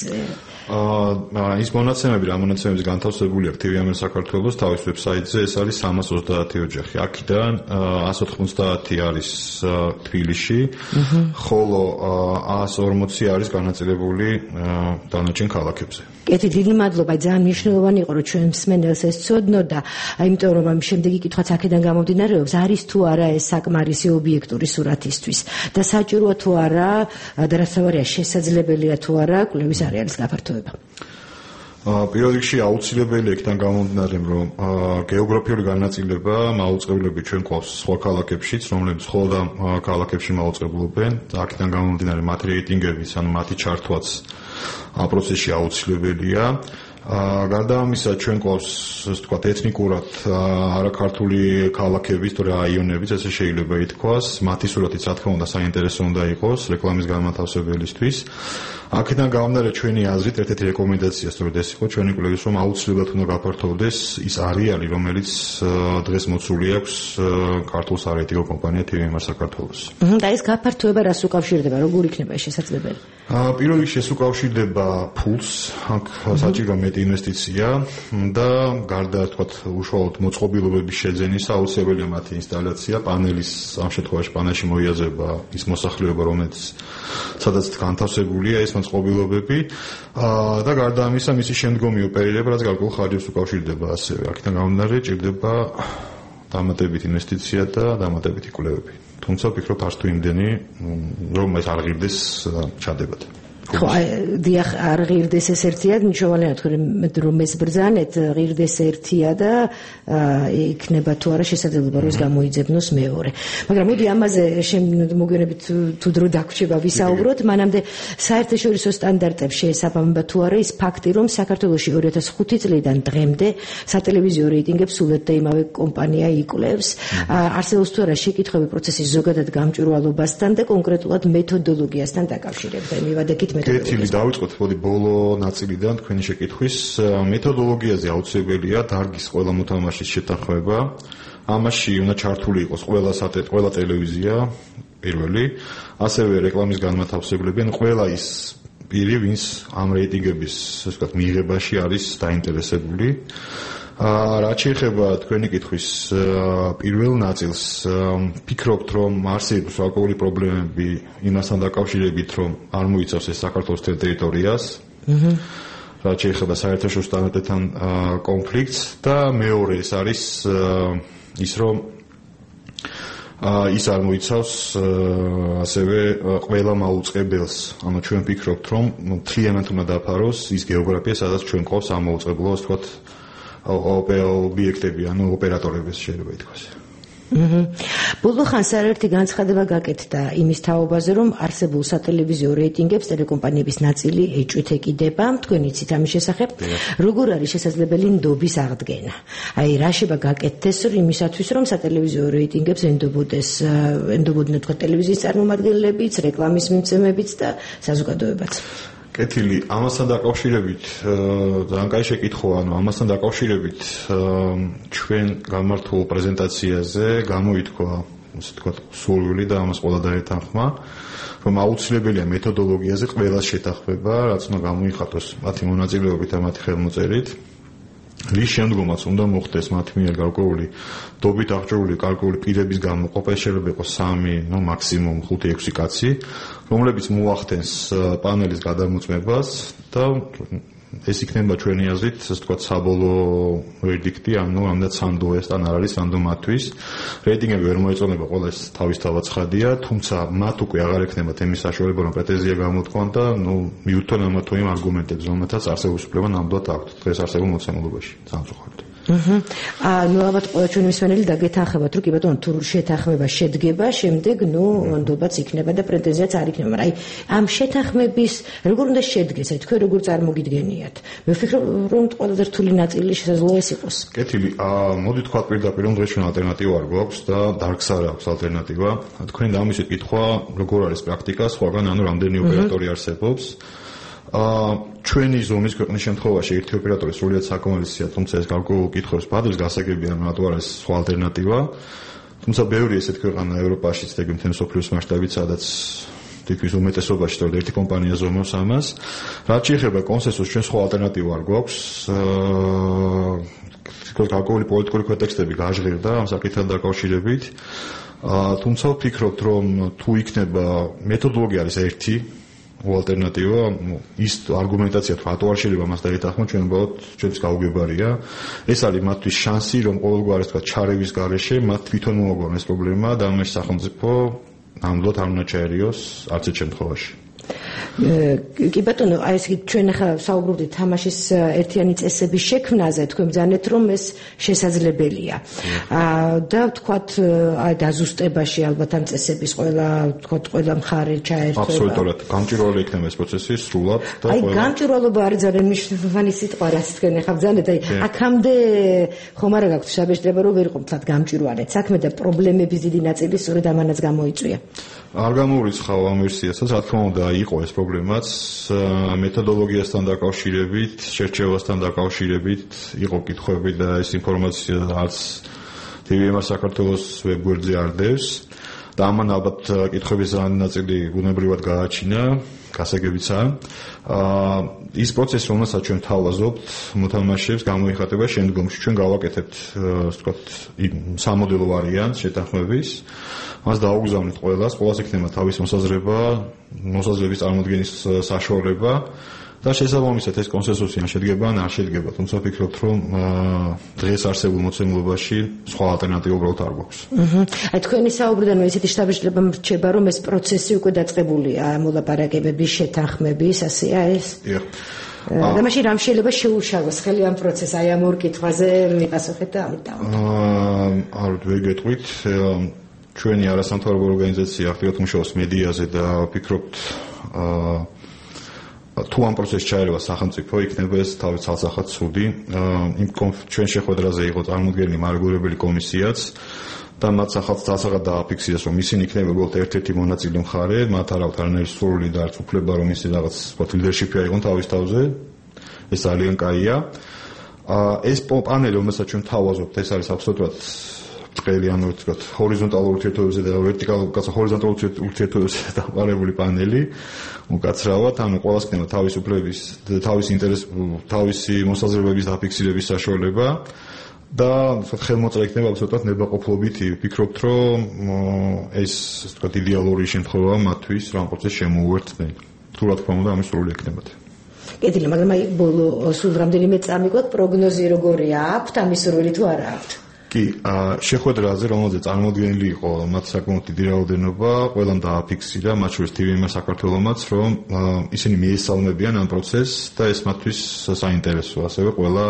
[SPEAKER 24] აა ის მონაცემები, რა მონაცემების განთავსებული აქვს ტივი ამერ საქართველოს თავის ვებსაიტზე, ეს არის სამას ოცდაათი ოჯახი. აქედან ასი ოცდაათი არის თბილისში, ხოლო ას ორმოცი არის განაწილებული დანარჩენ ქალაქებზე.
[SPEAKER 1] კეთი, დიდი მადლობა, ძალიან მნიშვნელოვანი იყო, რომ ჩვენ მსმენელს ეს ცოდნოდა, იმიტომ რომ ამ შემდეგი კითხვაც აქედან გამომდინარეობს, არის თუ არა ეს საკმარისი ობიექტური სურათისთვის და საჭიროა თუ არა და რაც თავარია შესაძლებელია თუ არა კვლევის არეალის გაფართოება.
[SPEAKER 24] პირველ რიგში აუცილებელი იქიდან გამომდინარე, რომ გეოგრაფიული განაწილება მაუწყებლები ჩვენ გვყავს სხვა ქალაქებშიც, რომლებიც მხოლოდ ამ ქალაქებში მაუწყებლობენ. აქედან გამომდინარე მათი რეიტინგების, ანუ მათი ჩართვაც ამ პროცესში აუცილებელია. აა გარდა ამისა ჩვენ გვყავს ასე ვთქვათ ეთნიკურად არაქართული ქალაქების თუ რაიონების ესე შეიძლება ითქვას მათი სურათიც რა თქმა უნდა საინტერესო უნდა იყოს რეკლამის განმათავსებელისთვის აქედან გამომდინარე ჩვენი აზრით ერთ-ერთი რეკომენდაცია სწორედ ეს იყო ჩვენი კვლევის რომ აუცილებლად უნდა გაფართოვდეს ის არეალი რომელიც დღეს მოცული აქვს ქართულ სარეიტინგო კომპანია თი ვი ემ არ საქართველოს
[SPEAKER 1] და ეს გაფართოება რას უკავშირდება როგორ იქნება შესაძლებელი
[SPEAKER 24] აა პირველ რიგში ეს უკავშირდება ფულს აქ საჭირო მეტი ინვესტიცია და გარდა თქვათ უშუალოდ მოწყობილობების შეძენისა აუცილებელია მათი ინსტალაცია პანელის ამ შემთხვევაში პანელში მოიაზრება ის მოსახლეობა რომელიც სადაც განთავსებულია ეს მოწყობილობები და გარდა ამისა მისი შემდგომი ოპერირება რაც გარკვეულ ხარჯებს უკავშირდება ასევე აქედან გამომდინარე ჭირდება დამატებითი ინვესტიცია და დამატებითი კვლევები თუმცა ვფიქრობ არც თუ იმდენი რომ ეს არ ღირდეს ჩადებად
[SPEAKER 1] ხო დიახ არ ღირდეს ეს ერთია მნიშვნელოვანია თუ რომ ეს ბრძანეთ ღირდეს ერთია და იქნება თუ არა შესაძლებლობა რომ გამოიძებნოს მეორე მაგრამ მოდი ამაზე მოგვიანებით თუ დრო დაგვრჩება ვისაუბროთ მანამდე საერთაშორისო სტანდარტებს შეესაბამება თუ არა ის ფაქტი რომ საქართველოში ორი ათას ხუთი წლიდან დღემდე სატელევიზიო რეიტინგებს სულეთ და იმავე კომპანია იკვლევს არსებობს თუ არა შეკითხვები პროცესის ზოგადად გამჭვირვალობასთან და კონკრეტულად მეთოდოლოგიასთან დაკავშირებით მივადექით
[SPEAKER 24] კეთილი დავიწყოთ მოდი ბოლო ნაწილიდან თქვენი შეკითხვის მეთოდოლოგიაზე აუცილებელია დარგის ყველა მოთამაშის შეთანხმება ამაში უნდა ჩართული იყოს ყველა სატე ყველა ტელევიზია პირველი ასევე რეკლამის განმათავსებლები ან ყველა ის პირი ვინც ამ რეიტინგების ასე ვთქვათ მიღებაში არის დაინტერესებული რაც შეეხება თქვენი კითხვის პირველ ნაწილს ფიქრობთ რომ არსებობს ვაკუალური პრობლემები იმასთან დაკავშირებით რომ არ მოიცავს ეს საქართველოს ტერიტორიას რაც შეეხება საერთაშორისო სტანდარტებთან კონფლიქტს და მეორე ეს არის ის რომ ის არ მოიცავს ასევე ყველა მაუწყებელს ანუ ჩვენ ვფიქრობთ რომ მთლიანად უნდა დაფაროს ის გეოგრაფია სადაც ჩვენ ყავს ამ მაუწყებლო ასე ვთქვათ ობიექტები, ანუ ოპერატორების შეიძლება ითქვას.
[SPEAKER 1] აჰა. ბოლო ხანს არაერთი განცხადება გაკეთდა იმის თაობაზე, რომ არსებულ სატელევიზიო რეიტინგებს ტელეკომპანიების ნაწილი ეჭვით ეკიდება. თქვენ იცით ამის შესახებ, როგორ არის შესაძლებელი ნდობის აღდგენა? აი, რა შეიძლება გაკეთდეს იმისათვის, რომ სატელევიზიო რეიტინგებს ენდობოდეს, ენდობოდნენ თქვა ტელევიზიის წარმომადგენლებიც, რეკლამის მიმცემებიც და საზოგადოებაც.
[SPEAKER 24] კეთილი, ამასთან დაკავშირებით ძალიან კაი შეკითხვაა, ანუ ამასთან დაკავშირებით ჩვენ გამართულ პრეზენტაციაზე გამოითქვა, ასე ვთქვათ, სურვილი და ამას ყველა დაეთანხმა, რომ აუცილებელია მეთოდოლოგიაზე ყველას შეთანხმება, რაც უნდა გამოიხატოს მათი მონაწილეობით და მათი ხელმოწერით. რის შემდგომაც უნდა მოხდეს მათი მიერ გარკვეული დობით აღჭურვილი გარკვეული პირების გამოყოფა, შეიძლება იყოს სამი, ნუ მაქსიმუმ ხუთი ექვსი კაცი, რომლებიც მოახდენს პანელის გადამოწმებას და ეს იქნება ჩვენი აზრით, ასე ვთქვათ, საბოლოო ვერდიქტი, ანუ ამდენ სანდო ეს თან არ არის სანდო მათთვის. რეიტინგები ვერ მოეწონება, ყველა ეს თავისთავად ცხადია, თუმცა მათ უკვე აღარ ექნებათ იმის საშუალება, რომ პრეტენზია გამოთქვან და ნუ მიუთონ ამა თუ იმ არგუმენტებს, რომელთაც არსებობს უფლება ნამდვილად აქვთ დღეს არსებულ მოცემულობაში. სამწუხაროდ.
[SPEAKER 1] აჰა. აა ნუ ალბათ ყველა ჩვენი მსმენელი დაგეთანხმებათ, რომ კი ბატონო, თუ შეთანხმება შედგება, შემდეგ ნუ ნდობაც იქნება და პრეტენზიაც არ იქნება, მაგრამ აი ამ შეთანხმების როგორ უნდა შედგეს, აი თქვენ როგორ წარმოგიდგენიათ? მე ვფიქრობ, რომ ყველაზე რთული ნაწილი შესაძლოა ეს იყოს.
[SPEAKER 24] კეთილი, აა მოდი თქვა პირდაპირ, რომ დღეს ჩვენ ალტერნატივა არ გვაქვს და დარგს არ აქვს ალტერნატივა. თქვენ დამისვით კითხვა, როგორ არის პრაქტიკა, სხვაგან ანუ რამდენი ოპერატორი არსებობს? აა ჩვენი ზომის ქვეყნის შემთხვევაში ერთი ოპერატორი სრულიად საკმარისია, თუმცა ეს გარკვეულ კითხვებს ბადებს გასაგებია, რომ რატო არ არის სხვა ალტერნატივა. თუმცა ბევრი ესეთ ქვეყანა ევროპაშიც და მთელი მსოფლიოს მასშტაბით, სადაც თითქმის უმეტესობაში თორე ერთი კომპანია ზომავს ამას. რაც შეეხება კონსენსუსს, ჩვენ სხვა ალტერნატივა არ გვაქვს. აა გარკვეული პოლიტიკური კონტექსტები გაჟღერდა ამ საკითხთან დაკავშირებით. აა თუმცა ვფიქრობთ, რომ თუ იქნება მეთოდოლოგია არის ერთი ალტერნატივა, ის არგუმენტაცია თუ რატო არ შეიძლება მას დაეთანხმოთ, ჩვენ უბრალოდ ჩვენს გაუგებარია. ეს არის მათთვის შანსი, რომ ყოველგვარი თქვა ჩარევის გარეშე მათ თვითონ მოაგვაროს პრობლემა და ამაში სახელმწიფო ნამდვილად არ უნდა ჩაერიოს არც ერთ შემთხვევაში.
[SPEAKER 1] კი ბატონო, აი ეს ჩვენ ახლა საუბრობდით თამაშის ერთიანი წესების შექმნაზე, თქვენ ბრძანეთ რომ ეს შესაძლებელია. და ვთქვათ, აი დაზუსტებაში ალბათ ამ წესების ყველა, ვთქვათ, ყველა მხარე ჩაერთვება.
[SPEAKER 24] აბსოლუტურად, გამჭვირვალე იქნება ეს პროცესი სრულად და
[SPEAKER 1] აი გამჭვირვალობა არის ძალიან მნიშვნელოვანი სიტყვა, რაც თქვენ ახლა ბრძანეთ, აი აქამდე ხომ არა გაქვთ შაბეშტება რომ ვერ იყო თქვათ გამჭვირვალე საქმე და პრობლემების დიდი ნაწილი სწორედ ამანაც გამოიწვია.
[SPEAKER 24] არ გამოვიცხავ ამ ვერსიასაც, რა თქმა უნდა, იყო ეს პრობლემაც მეთოდოლოგიასთან დაკავშირებით, შერჩევასთან დაკავშირებით, იყო კითხვები და ეს ინფორმაცია არც ტი ვი ემ-ს საქართველოს ვებგვერდზე არ დევს და ამან ალბათ კითხვების ძალიან ნაწილი უნებრივად გააჩინა, გასაგებიცაა. ის პროცესი, რომელსაც ჩვენ თავაზობთ, მოთამაშეებს გამოიხატება შემდგომში. ჩვენ გავაკეთებთ, ასე ვთქვათ, სამოდელო ვარიანტს შეთანხმების. მას დაუგზავნით ყველას, ყველას იქნება თავის მოსაზრება, მოსაზრების წარმოდგენის საშუალება და შესაბამისად ეს კონსენსუსი ან შედგება ან არ შედგება. თუმცა ვფიქრობთ, რომ დღეს არსებულ მოცემულობაში სხვა ალტერნატივა უბრალოდ არ გვაქვს.
[SPEAKER 1] აჰა. აი თქვენი საუბრიდან ისეთი შთაბეჭდილება მრჩება, რომ ეს პროცესი უკვე დაწყებულია, მოლაპარაკებების, შეთანხმების, ასეა ეს?
[SPEAKER 24] დიახ.
[SPEAKER 1] და მაშინ რამ შეიძლება შეუშალოს ხელი ამ პროცესს, აი ამ ორ კითხვაზე მიპასუხეთ და ამით დავამთავროთ.
[SPEAKER 24] აა არ ვერ გეტყვით, ჩვენი არასამთავრობო ორგანიზაცია აქტიურად მუშაობს მედიაზე და ვფიქრობთ აა თუ ამ პროცესში ჩაერევა სახელმწიფო, იქნება ეს თავის ცალსახად ცუდი. იმ ჩვენ შეხვედრაზე იყო წარმოდგენილი მარეგულირებელი კომისიაც და მათ ცალსახად დააფიქსირეს, რომ ისინი იქნება უბრალოდ ერთ-ერთი მონაწილე მხარე, მათ არ აქვთ არანაირი სრული და არც უფლება, რომ ისინი რაღაც ლიდერშიპი აიღონ თავის თავზე. ეს ძალიან კაია. ეს პანელი, რომელსაც ჩვენ თავაზობთ, ეს არის აბსოლუტურად ბრტყელი, ანუ ვთქვათ, ჰორიზონტალურ ურთიერთობებზე და ვერტიკალურ, კაცო ჰორიზონტალურ ურთიერთობებზე დაყარებული პანელი. უკაცრავად, ანუ ყველას ქნება თავის უფლების, თავის ინტერეს, თავისი მოსაზრებების დაფიქსირების საშუალება და ვთქვათ, ხელმოწერა იქნება აბსოლუტურად ნებაყოფლობითი. ვფიქრობთ, რომ ეს, ასე ვთქვათ, იდეალური შემთხვევაა მათთვის, რომ პროცესს შემოუერთდნენ. თუ რა თქმა უნდა, ამის სრული ექნებათ.
[SPEAKER 1] კეთილი, მაგრამ აი ბოლო სულ რამდენიმე წამი გვაქვს, პროგნოზი როგორია? აქვთ ამის სრული თუ არა აქვთ?
[SPEAKER 24] კი, შეხვედრაზე, რომელზეც წარმოდგენილი იყო მათ საკმაოდ დიდი რაოდენობა, ყველამ დააფიქსირა, მათ შორის ტი ვი ემ საქართველომაც, რომ ისინი მიესალმებიან ამ პროცესს და ეს მათთვის საინტერესოა, ასევე ყველა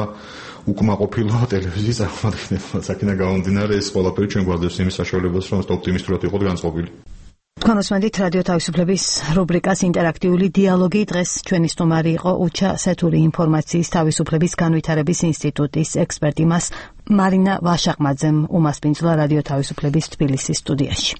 [SPEAKER 24] უკმაყოფილო ტელევიზიის წარმომადგენლებს. აქედან გამომდინარე, ეს ყველაფერი ჩვენ გვაძლევს იმის საშუალებას, რომ ოპტიმისტურად იყოთ განწყობილი.
[SPEAKER 2] თქვენ უსმენთ რადიო თავისუფლების რუბრიკას ინტერაქტიული დიალოგი. დღეს ჩვენი სტუმარი იყო უჩა სეთური ინფორმაციის თავისუფლების განვითარების ინსტიტუტის ექსპერტი მას მარინა ვაშაყმაძემ უმასპინძლა რადიო თავისუფლების თბილისის სტუდიაში.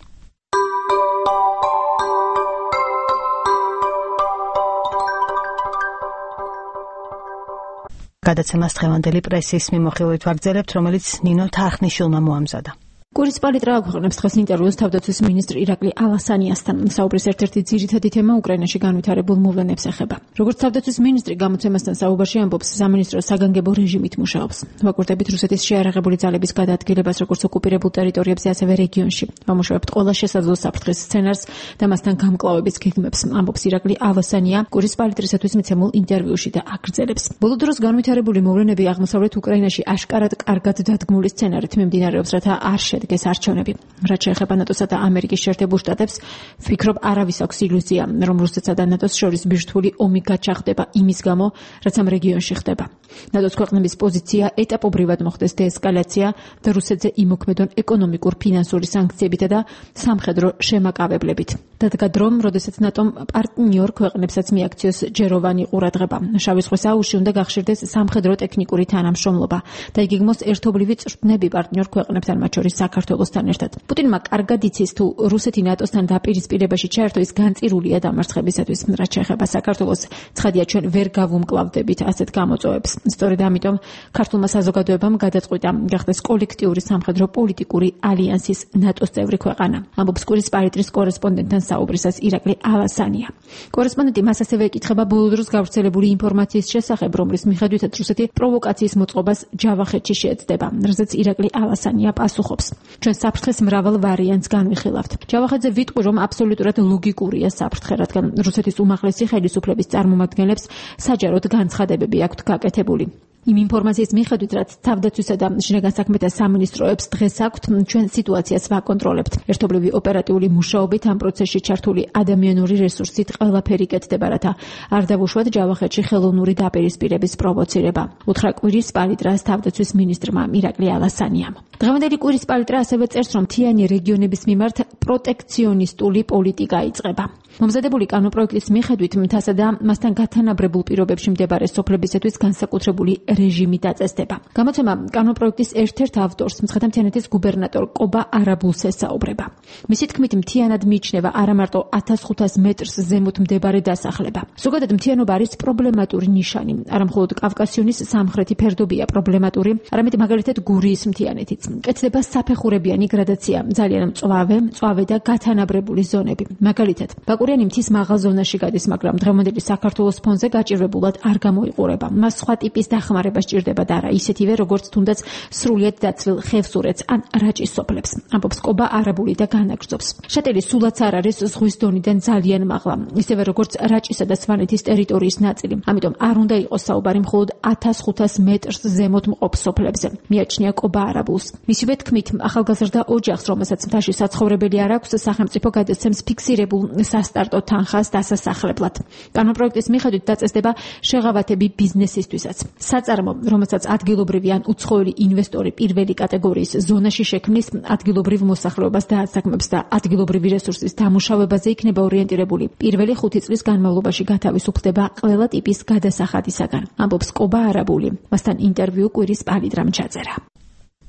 [SPEAKER 2] გადაცემას დღევანდელი პრესის მიმოხილვით ვაგრძელებთ, რომელიც ნინო თარხნიშვილმა მოამზადა.
[SPEAKER 3] კურის პალიტრა აქვეყნებს დღეს ინტერვიუს თავდაცვის მინისტრ ირაკლი ალასანიასთან. საუბრის ერთ-ერთი ძირითადი თემა უკრაინაში განვითარებულ მოვლენებს ეხება. როგორც თავდაცვის მინისტრი გამოცემასთან საუბარში ამბობს, სამინისტრო საგანგებო რეჟიმით მუშაობს. ვაკურტებით რუსეთის შეარაღებული ძალების გადაადგილებას როგორც ოკუპირებულ ტერიტორიებზე, ასევე რეგიონში. ვამუშავებთ ყველა შესაძლო საფრთხის სცენარს და მასთან გამკლავების გეგმებს, ამბობს ირაკლი ალასანია კურის პალიტრისათვის მიცემულ ინტერვიუში და აგრძელებს. ბოლო დროს განვითარებული მოვლენები აღმოსავლეთ უკრაინაში აშკარად კარგად დადგმული სცენარით მიმდინარეობს, რათა არ შედგეს არჩევნები. რაც შეეხება ნატოსა და ამერიკის შეერთებულ შტატებს, ვფიქრობ, არავის აქვს ილუზია, რომ რუსეთსა და ნატოს შორის ბირთვული ომი გაჩაღდება იმის გამო, რაც ამ რეგიონში ხდება. ნატოს ქვეყნების პოზიცია ეტაპობრივად მოხდეს დეესკალაცია და რუსეთზე იმოქმედონ ეკონომიკურ, ფინანსური სანქციებითა და სამხედრო შემაკავებლებით. დადგა დრომ, როდესაც ნატომ პარტნიორ ქვეყნებსაც მიაქციოს ჯეროვანი ყურადღება. შავი ზღვის აუზში უნდა გახშირდეს სამხედრო ტექნიკური თანამშრომლობა და იგეგმოს ერთობლივი წვრთნები პარტნიორ ქვეყნებთან, მათ შორის საქართველოსთან ერთად. პუტინმა კარგად იცის, თუ რუსეთი ნატოსთან დაპირისპირებაში ჩაერთო, ის განწირულია დამარცხებისათვის. რაც შეეხება საქართველოს, ცხადია, ჩვენ ვერ გავუმკლავდებით ასეთ გამოწვევებს. სწორედ ამიტომ ქართულმა საზოგადოებამ გადაწყვიტა გახდეს კოლექტიური სამხედრო პოლიტიკური ალიანსის ნატოს წევრი ქვეყანა. ამბობს კურის პალიტრის კორესპონდენტთან საუბრისას ირაკლი ალასანია. კორესპონდენტი მას ასევე ეკითხება ბოლო დროს გავრცელებული ინფორმაციის შესახებ, რომლის მიხედვითაც რუსეთი პროვოკაციის მოწყობას ჯავახეთში შეეცდება, რაზეც ირაკლი ალასანია პასუხობს. ჩვენ საფრთხეს მრავალ ვარიანტს განვიხილავთ. ჯავახეთზე ვიტყვი, რომ აბსოლუტურად ლოგიკურია საფრთხე, რადგან რუსეთის უმაღლესი ხელისუფლების წარმომადგენლებს საჯაროდ განცხადებები აქვთ გაკეთებული. იმ ინფორმაციის მიხედვით, რაც თავდაცვისა და შინაგან საქმეთა სამინისტროებს დღეს აქვთ, ჩვენ სიტუაციას ვაკონტროლებთ. ერთობლივი ოპერატიული მუშაობით ამ პროცესში ჩართული ადამიანური რესურსით ყველაფერი კეთდება, რათა არ დავუშვათ ჯავახეთში ხელოვნური დაპირისპირების პროვოცირება. უთხრა კვირის პალიტრას თავდაცვის მინისტრმა ირაკლი ალასანიამ. დღევანდელი კვირის პალიტრა ასევე წერს, რომ მთიანი რეგიონების მიმართ პროტექციონისტული პოლიტიკა იწყება. მომზადებული კანონპროექტის მიხედვით მთასა და მასთან გათანაბრებულ პირობებში მდებარე სოფლებისათვის განსაკუთრებული რეჟიმი დაწესდება. გამოცემა კანონპროექტის ერთ-ერთ ავტორს, მცხეთა-მთიანეთის გუბერნატორ კობა არაბულს ესაუბრება. მისი თქმით, მთიანად მიიჩნევა არა მარტო ათას ხუთას მეტრს ზემოთ მდებარე დასახლება. ზოგადად მთიანობა არის პრობლემატური ნიშანი. არა მხოლოდ კავკასიონის სამხრეთი ფერდობია პრობლემატური, არამედ მაგალითად გურიის მთიანეთიც. კეთდება საფეხურებიანი გრადაცია, ძალიან მწვავე, მწვავე და გათანაბრებული ზონები. მაგალითად, ბაკურიანი მთის მაღალ ზონაში გადის, მაგრამ დღევანდელი საქართველოს ფონზე გაჭირვებულად არ გამოიყურება. მას სხვა ტიპის დახმარება სჭირდება და არა ისეთივე, როგორც თუნდაც სრულიად დაცლილ ხევსურეთს ან რაჭის სოფლებს. ამბობს კობა არაბული და განაგრძობს. შეტელი სულაც არ არის ზღვის დონიდან ძალიან მაღლა, ისევე როგორც რაჭისა და სვანეთის ტერიტორიის ნაწილი. ამიტომ არ უნდა იყოს საუბარი მხოლოდ ათას ხუთას მეტრს ზემოთ მყოფ სოფლებზე. მიაჩნია კობა არაბულს. მისივე თქმით, ახალგაზრდა ოჯახს, რომელსაც მთაში საცხოვრებელი არ აქვს, სახელმწიფო გადაცემს ფიქსირებულ სასტარტო თანხას დასასახლებლად. კანონპროექტის მიხედვით დაწესდება შეღავათები ბიზნესისთვისაც. საწარმო, რომელსაც ადგილობრივი ან უცხოელი ინვესტორი პირველი კატეგორიის ზონაში შექმნის, ადგილობრივ მოსახლეობას დაასაქმებს და ადგილობრივი რესურსის დამუშავებაზე იქნება ორიენტირებული. პირველი ხუთი წლის განმავლობაში გათავისუფლდება ყველა ტიპის გადასახადისაგან. ამბობს კობა არაბული. მასთან ინტერვიუ კვირის პალიტრამ ჩაწერა.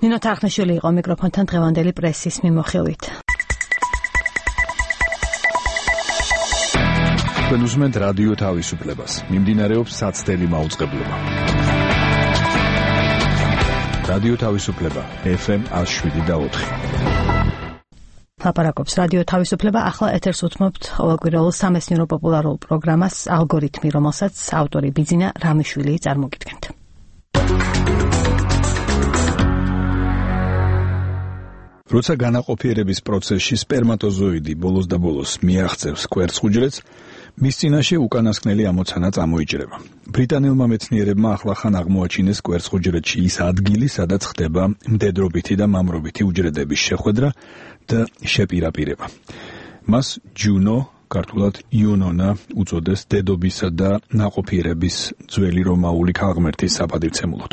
[SPEAKER 2] ნინო თახნიშვილი იყო მიკროფონთან დღევანდელი პრესის მიმოხილვით.
[SPEAKER 4] თქვენ უსმენთ რადიო თავისუფლებას. მიმდინარეობს საცდელი მაუწყებლობა. რადიო თავისუფლება ეფ ემ ათს შვიდი და ოთხი.
[SPEAKER 2] ლაპარაკობს რადიო თავისუფლება. ახლა ეთერს უთმობთ ყოველკვირეულ სამეცნიერო პოპულარულ პროგრამას ალგორითმი, რომელსაც ავტორი ბიძინა რამიშვილი წარმოგიდგენთ.
[SPEAKER 4] როცა განაყოფიერების პროცესში სპერმატოზოიდი ბოლოს და ბოლოს მიაღწევს კვერცხუჯრედს, მის წინაშე უკანასკნელი ამოცანა წამოიჭრება. ბრიტანელმა მეცნიერებმა ახლახან აღმოაჩინეს კვერცხუჯრედში ის ადგილი, სადაც ხდება მდედრობითი და მამრობითი უჯრედების შეხვედრა და შეპირაპირება. მას ჯუნო, ქართულად იუნონა უწოდეს დედობისა და ნაყოფიერების ძველი რომაული ქალღმერთის საპატივცემულოდ.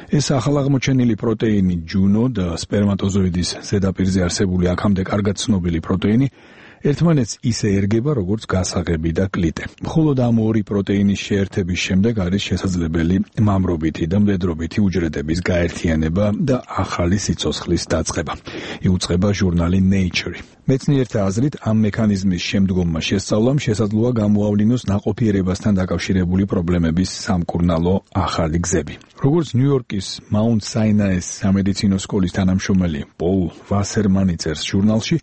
[SPEAKER 4] ეს ახალაღმოჩენილი პროტეინი ჯუნო და სპერმატოზოიდის ზედაპირზე არსებული აქამდე კარგად ცნობილი პროტეინი ერთმანეთს ისე ერგება, როგორც გასაღები და კლიტე. მხოლოდ ამ ორი პროტეინის შეერთების შემდეგ არის შესაძლებელი მამრობითი და მდედრობითი უჯრედების გაერთიანება და ახალი სიცოცხლის დაწყება. იუწყება ჟურნალი Nature. მეცნიერთა აზრით, ამ მექანიზმის შემდგომმა შესწავლამ შესაძლოა გამოავლინოს ნაყოფიერებასთან დაკავშირებული პრობლემების სამკურნალო ახალი გზები. როგორც ნიუ-იორკის Mount Sinai სამედიცინო სკოლის თანამშრომელი პოლ ვასერმანი წერს ჟურნალში,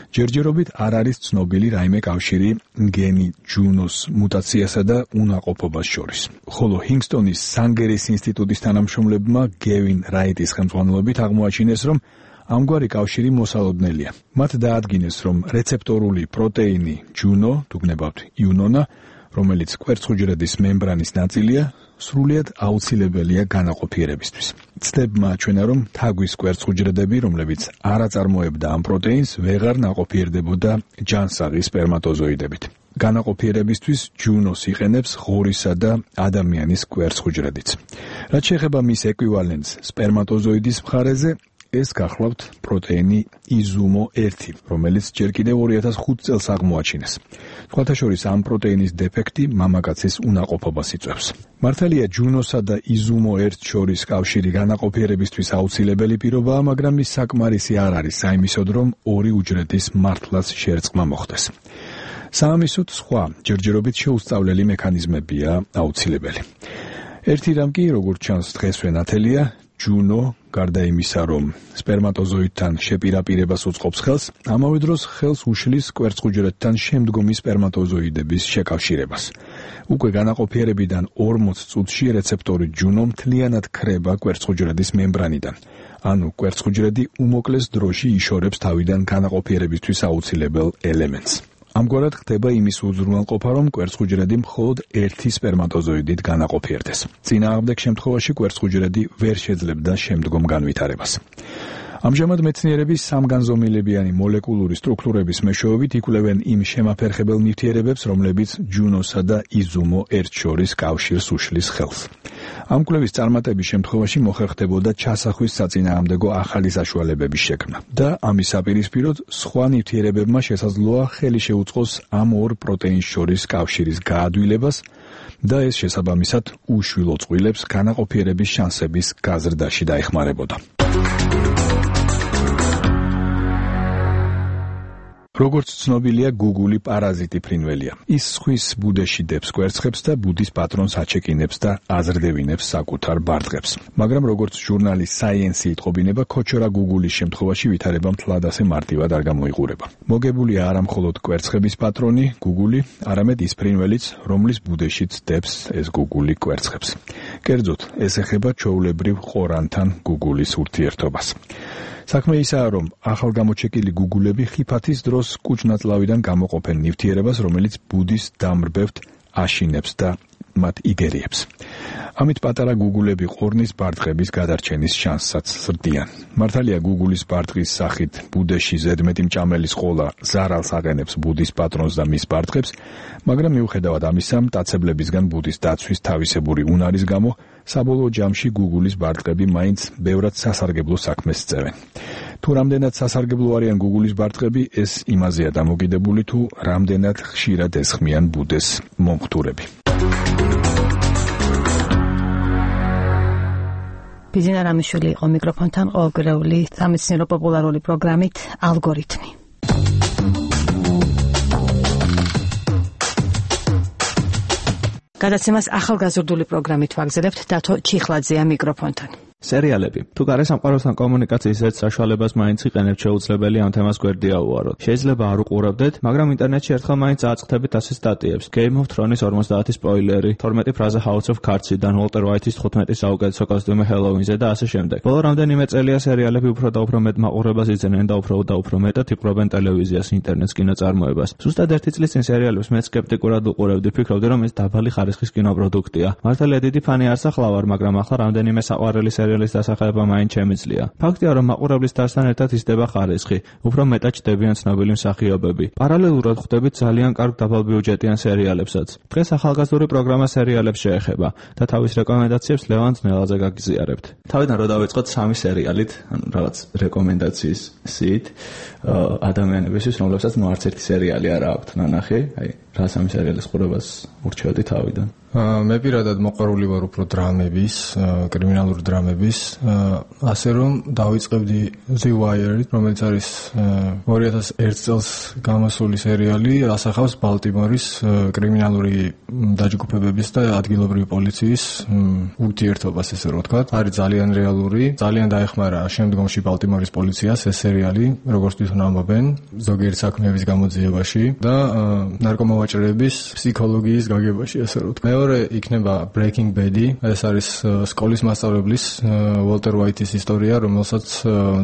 [SPEAKER 4] ჯერჯერობით არ არის ცნობილი რაიმე კავშირი გენი ჯუნოს მუტაციასა და უნაყოფობას შორის. ხოლო ჰინგსტონის სანგერის ინსტიტუტის თანამშრომლებმა გევინ რაიტის ხელმძღვანელობით აღმოაჩინეს, რომ ამგვარი კავშირი მოსალოდნელია. მათ დაადგინეს, რომ რეცეპტორული პროტეინი ჯუნო, თუგნებავთ იუნონა, რომელიც კვერცხუჯრედის მემბრანის ნაწილია, სრულიად აუცილებელია განაყოფიერებისთვის. ცდებმა აჩვენა, რომ თაგვის კვერცხუჯრედები, რომლებიც არ აწარმოებდა ამ პროტეინს, ვეღარ ნაყოფიერდებოდა ჯანსაღი სპერმატოზოიდებით. განაყოფიერებისთვის ჯუნოს იყენებს ღორისა და ადამიანის კვერცხუჯრედიც. რაც შეეხება მის ეკვივალენტს სპერმატოზოიდის მხარეზე, ეს გახლავთ პროტეინი იზუმო ერთი, რომელიც ჯერ კიდევ ორი ათას ხუთი წელს აღმოაჩინეს. სხვათა შორის ამ პროტეინის დეფექტი მამაკაცის უნაყოფობას იწვევს. მართალია ჯუნოსა და იზუმო ერთ შორის კავშირი განაყოფიერებისთვის აუცილებელი პირობაა, მაგრამ ის საკმარისი არ არის საიმისოდ, რომ ორი უჯრედის მართლაც შერწყმა მოხდეს. საამისოდ სხვა ჯერჯერობით შეუსწავლელი მექანიზმებია აუცილებელი. ერთი რამ კი, როგორც ჩანს დღესვე ნათელია, ჯუნო, გარდა იმისა, რომ სპერმატოზოიდთან შეპირაპირებას უწყობს ხელს, ამავე დროს ხელს უშლის კვერცხუჯრედთან შემდგომი სპერმატოზოიდების შეკავშირებას. უკვე განაყოფიერებიდან ორმოც წუთში რეცეპტორი ჯუნო მთლიანად ქრება კვერცხუჯრედის მემბრანიდან. ანუ კვერცხუჯრედი უმოკლეს დროში იშორებს თავიდან განაყოფიერებისთვის აუცილებელ ელემენტს. ამგვარად ხდება იმის უზრუნველყოფა, რომ კვერცხუჯრედი მხოლოდ ერთი სპერმატოზოიდით განაყოფიერდეს. წინააღმდეგ შემთხვევაში კვერცხუჯრედი ვერ შეძლებდა შემდგომ განვითარებას. ამჟამად მეცნიერები სამგანზომილებიანი მოლეკულური სტრუქტურების მეშვეობით იკვლევენ იმ შემაფერხებელ ნივთიერებებს, რომლებიც ჯუნოსა და იზუმო ერთ შორის კავშირს უშლის ხელს. ამ კვლევის წარმატების შემთხვევაში მოხერხდებოდა ჩასახვის საწინააღმდეგო ახალი საშუალებების შექმნა და ამის საპირისპიროდ სხვა ნივთიერებებმა შესაძლოა ხელი შეუწყოს ამ ორ პროტეინს შორის კავშირის გაადვილებას და ეს შესაბამისად უშვილო წყვილებს განაყოფიერების შანსების გაზრდაში დაეხმარებოდა. როგორც ცნობილია, Google-ი პარაზიტი ფრინველია. ის სხვის ბუდეში დებს კვერცხებს და ბუდის პატრონს აჩეკინებს და აზრდევინებს საკუთარ ბარტყებს. მაგრამ როგორც ჟურნალი Science იტყობინება, ქოჩორა Google-ის შემთხვევაში ვითარება მთლად ასე მარტივად არ გამოიყურება. მოგებულია არა მხოლოდ კვერცხების პატრონი Google-ი, არამედ ის ფრინველიც, რომლის ბუდეშიც დებს ეს Google-ი კვერცხებს. კერძოდ, ეს ეხება ჩვეულებრივ ყორანთან Google-ის ურთიერთობას. საქმე ისაა, რომ ახალგამოჩეკილი გუგულები ხიფათის დროს კუჭნაწლავიდან გამოყოფენ ნივთიერებას, რომელიც ბუდის დამრბევთ აშინებს და მათ იგერიებს. ამით პატარა გუგულები ყორნის ბარტყების გადარჩენის შანსსაც ზრდიან. მართალია გუგულის ბარტყის სახით ბუდეში ზედმეტი მჭამელის ყოლა ზარალს აყენებს ბუდის პატრონს და მის ბარტყებს, მაგრამ მიუხედავად ამისა, მტაცებლებისგან ბუდის დაცვის თავისებური უნარის გამო საბოლოო ჯამში გუგულის ბარტყები მაინც ბევრად სასარგებლო საქმეს წევენ. თუ რამდენად სასარგებლო არიან გუგულის ბარტყები, ეს იმაზეა დამოკიდებული, თუ რამდენად ხშირად ესხმიან ბუდეს მომხდურები.
[SPEAKER 2] ბიზინა რამიშვილი იყო მიკროფონთან ყოველგვარეული სამეცნიერო პოპულარული პროგრამით ალგორითმი. გადაცემას ახალგაზრდული პროგრამით ვაგზელებთ დათო ჩიხლაძეა მიკროფონთან.
[SPEAKER 6] სერიალები. თუ გარესამყაროსთან კომუნიკაციის ერთ საშუალებას მაინც იყენებთ, შეუძლებელი ამ თემას გვერდია უვაროთ. შეიძლება არ უყურებდეთ, მაგრამ ინტერნეტში ერთხელ მაინც აწყდებით ასე სტატიებს. Game of Thrones ორმოცდაათი სპოილერი, თორმეტი ფრაზა House of Cards-დან, Walter White-ის თხუთმეტი საუკეთესო კოსტიუმი Halloween-ზე და ასე შემდეგ. ბოლო რამდენიმე წელია სერიალები უფრო და უფრო მეტ მაყურებას იძენენ და უფრო და უფრო მეტად იპყრობენ ტელევიზიას, ინტერნეტს, კინოწარმოებას. ზუსტად ერთი წლის წინ სერიალებს მე სკეპტიკურად უყურებდი, ფიქრობდი, რომ ეს დაბალი ხარისხის კინოპროდუქტია. მართალია დიდი ფანი არ სახლავარ, მაგრამ ახლა რამდენიმე საყვარელი სერიალის დასახელება მაინც შემიძლია. ფაქტია, რომ მაყურებლის დასთან ერთად იზრდება ხარისხი, უფრო მეტად ჩდებიან ცნობილი მსახიობები. პარალელურად ხვდებით ძალიან კარგ დაბალბიუჯეტიან სერიალებსაც. დღეს ახალგაზრდული პროგრამა სერიალებს შეეხება და თავის რეკომენდაციებს ლევან ძნელაძე გაგიზიარებთ. თავიდან რო დავიწყოთ სამი სერიალით, ანუ რაღაც რეკომენდაციის სიით ადამიანებისთვის, რომლებსაც ნუ არც ერთი სერიალი არ აქვთ ნანახი, აი რა სამი სერიალის ყურებას ურჩევდი თავიდან.
[SPEAKER 12] მე პირადად მოყვარული ვარ უფრო დრამების, კრიმინალური დრამების, ასე რომ დავიწყებდი The Wire, რომელიც არის ორი ათას ერთი წელს გამოსული სერიალი, ასახავს ბალტიმორის კრიმინალური დაჯგუფებების და ადგილობრივი პოლიციის ურთიერთობას, ესე რომ ვთქვათ. არის ძალიან რეალური, ძალიან დაეხმარა შემდგომში ბალტიმორის პოლიციას ეს სერიალი, როგორც თვითონ ამბობენ, ზოგიერთ საქმეების გამოძიებაში და ნარკომოვაჭრეების ფსიქოლოგიის გაგებაში, ასე რომ ვთქვათ. მეორე იქნება Breaking Bad-ი, ეს არის სკოლის მასწავლებლის Walter White-ის ისტორია, რომელსაც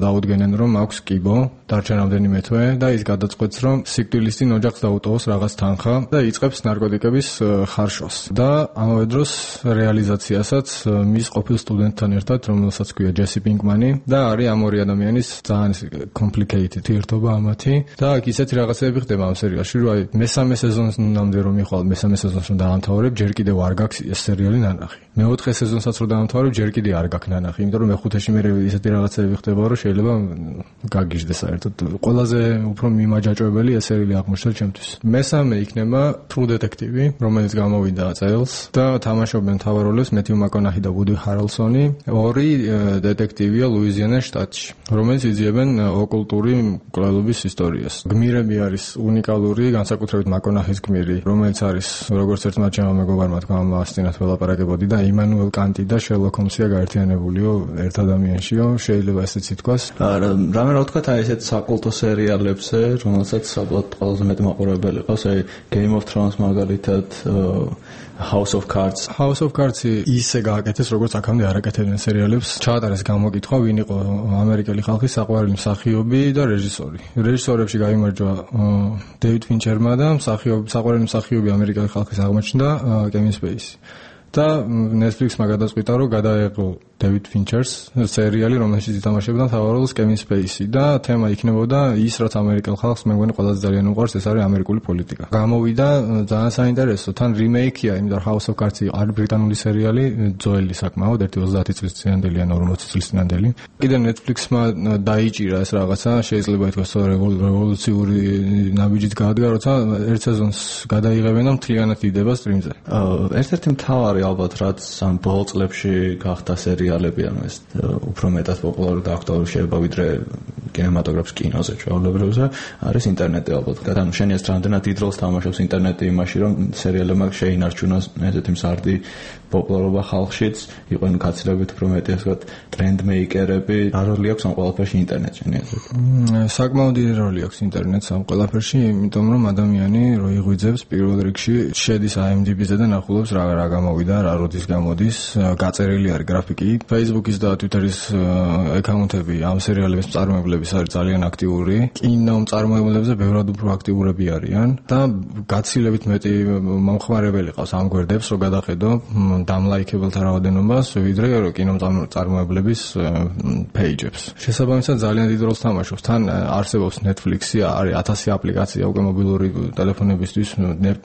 [SPEAKER 12] დაუდგენენ, რომ აქვს კიბო, დარჩა რამდენიმე თვე და ის გადაწყვეტს, რომ სიკვდილის წინ ოჯახს დაუტოვოს რაღაც თანხა და იწყებს ნარკოტიკების ხარშვას. და ამავე დროს რეალიზაციასაც მის ყოფილ სტუდენტთან ერთად, რომელსაც ქვია Jesse Pinkman-ი და არის ამ ორი ადამიანის ძალიან complicated ერთობა ამათი და აქ ისეთი რაღაცები ხდება ამ სერიალში, რომ აი მესამე სეზონამდე რომ მიხვალ, მესამე სეზონს რომ დაამთავრებ, ჯერ კიდევ არ გაქვს ეს სერიალი ნანახი. მეოთხე სეზონსაც რომ დაამთავრებ, ჯერ კიდევ არ გაქვს ნანახი, იმიტომ რომ მეხუთეში მე ისეთი რაღაცები ხდება, რომ შეიძლება გაგიჟდეს საერთოდ. ყველაზე უფრო მიმაჯაჭვებელი ეს სერიალი აღმოჩნდა ჩემთვის. მესამე იქნება True Detective, რომელიც გამოვიდა წელს და თამაშობენ მთავარ როლებს Matthew McConaughey და Woody Harrelson-ი, ორი დეტექტივია ლუიზიანას შტატში, რომელიც იძიებენ ოკულტური მკვლელობის ისტორიას. გმირები არის უნიკალური, განსაკუთრებით McConaughey-ის გმირი, რომელიც არის როგორც ერთმა ჩემმა მეგობარმა
[SPEAKER 7] რა თქმა უნდა ასწინათ ველაპარაკებოდი და იმანუელ კანტი და შერლოკ ჰოლმსია გაერთიანებულიო ერთ ადამიანშიო, შეიძლება ესეც ითქვას.
[SPEAKER 6] რამე რა ვთქვათ, აი ესეთ საკულტო სერიალებზე, რომელსაც საბოლოოდ ყველაზე მეტი მაყურებელი ყავს, აი Game of Thrones მაგალითად, House of Cards.
[SPEAKER 7] House of Cards-ი ისე გააკეთეს, როგორც აქამდე არ აკეთებდნენ სერიალებს. ჩაატარეს გამოკითხვა, ვინ იყო ამერიკელი ხალხის საყვარელი მსახიობი და რეჟისორი. რეჟისორებში გაიმარჯვა დეივიდ ფინჩერმა და მსახიობი, საყვარელი მსახიობი ამერიკელი ხალხის აღმოჩნდა კევინ სპეისი. და Netflix-მა გადაწყვიტა, რომ გადაეღო დეივიდ ფინჩერს სერიალი, რომელშიც ითამაშებდა მთავარ როლს კევინ სპეისი და თემა იქნებოდა ის, რაც ამერიკელ ხალხს მე მგონი ყველაზე ძალიან უყვარს, ეს არის ამერიკული პოლიტიკა. გამოვიდა ძალიან საინტერესო, თან რიმეიქია, იმიტომ რომ House of Cards-ი არის ბრიტანული სერიალი, ძველი საკმაოდ, ერთი ოცდაათი წლის წინანდელი ან ორმოცი წლის წინანდელი. კიდე Netflix-მა დაიჭირა ეს რაღაცა, შეიძლება ითქვას, რევოლუციური ნაბიჯით გაადგა, როცა ერთ სეზონს გადაიღებენ და მთლიანად იდება სტრიმზე.
[SPEAKER 6] ერთ-ერთი მთავარი ალბათ რაც ამ ბოლო წლებში გახდა სერიალები, ანუ ეს უფრო მეტად პოპულარული და აქტუალური შეიძლება ვიდრე კინემატოგრაფს კინოზე ჩვეულებრივზე, არის ინტერნეტი ალბათ. ანუ შენ ეს რამდენად დიდ როლს თამაშობს ინტერნეტი იმაში, რომ სერიალებმა შეინარჩუნოს ესეთი მსარდი პოპულარობა ხალხშიც, იყვნენ გაცილებით უფრო მეტი ასე ვთქვათ ტრენდ მეიკერები. რა როლი აქვს ამ ყველაფერში ინტერნეტში, შენი აზრით?
[SPEAKER 7] საკმაოდ დიდი როლი აქვს ინტერნეტს ამ ყველაფერში, იმიტომ რომ ადამიანი რო იღვიძებს პირველ რიგში შედის I M D B-ზე და ნახულობს რა რა გამოვიდა, რა როდის გამოდის, გაწერილი არის გრაფიკი. Facebook-ის და Twitter-ის აკაუნტები ამ სერიალების მწარმოებლების არის ძალიან აქტიური. კინო მწარმოებლებზე ბევრად უფრო აქტიურები არიან და გაცილებით მეტი მომხმარებელი ყავს ამ გვერდებს, რო გადახედო დამლაიქებელთა რაოდენობას, ვიდრე კინო მწარმოებლების პეიჯებს. შესაბამისად ძალიან დიდ როლს თამაშობს. თან არსებობს Netflix-ი, არის ათასი აპლიკაცია უკვე მობილური ტელეფონებისთვის,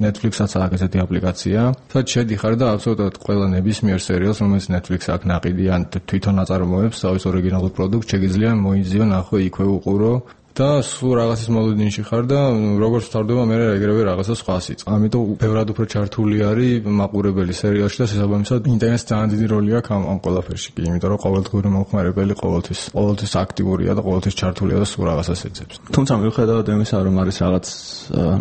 [SPEAKER 7] Netflix-აც აქვს ესეთი აპლიკაცია. სადაც შედიხარ და აბსოლუტურად ყველა ნებისმიერ სერიალს, რომელიც Netflix აქ ნაყიდი ან თვითონ აწარმოებს თავის ორიგინალურ პროდუქტს, შეგიძლია მოიძიო, ნახო, იქვე უყურო და სულ რაღაცის მოლოდინში ხარ და როგორც ვთარდება მე ეგრევე რაღაცა სხვას იწ. ამიტომ ბევრად უფრო ჩართული არის მაყურებელი სერიალში და შესაბამისად ინტერნეტს ძალიან დიდი როლი აქვს ამ ამ ყველაფერში კი, იმიტომ რომ ყოველდღიური მომხმარებელი ყოველთვის ყოველთვის აქტიურია და ყოველთვის ჩართულია და სულ რაღაცას ეძებს.
[SPEAKER 6] თუმცა მიუხედავად იმისა, რომ არის რაღაც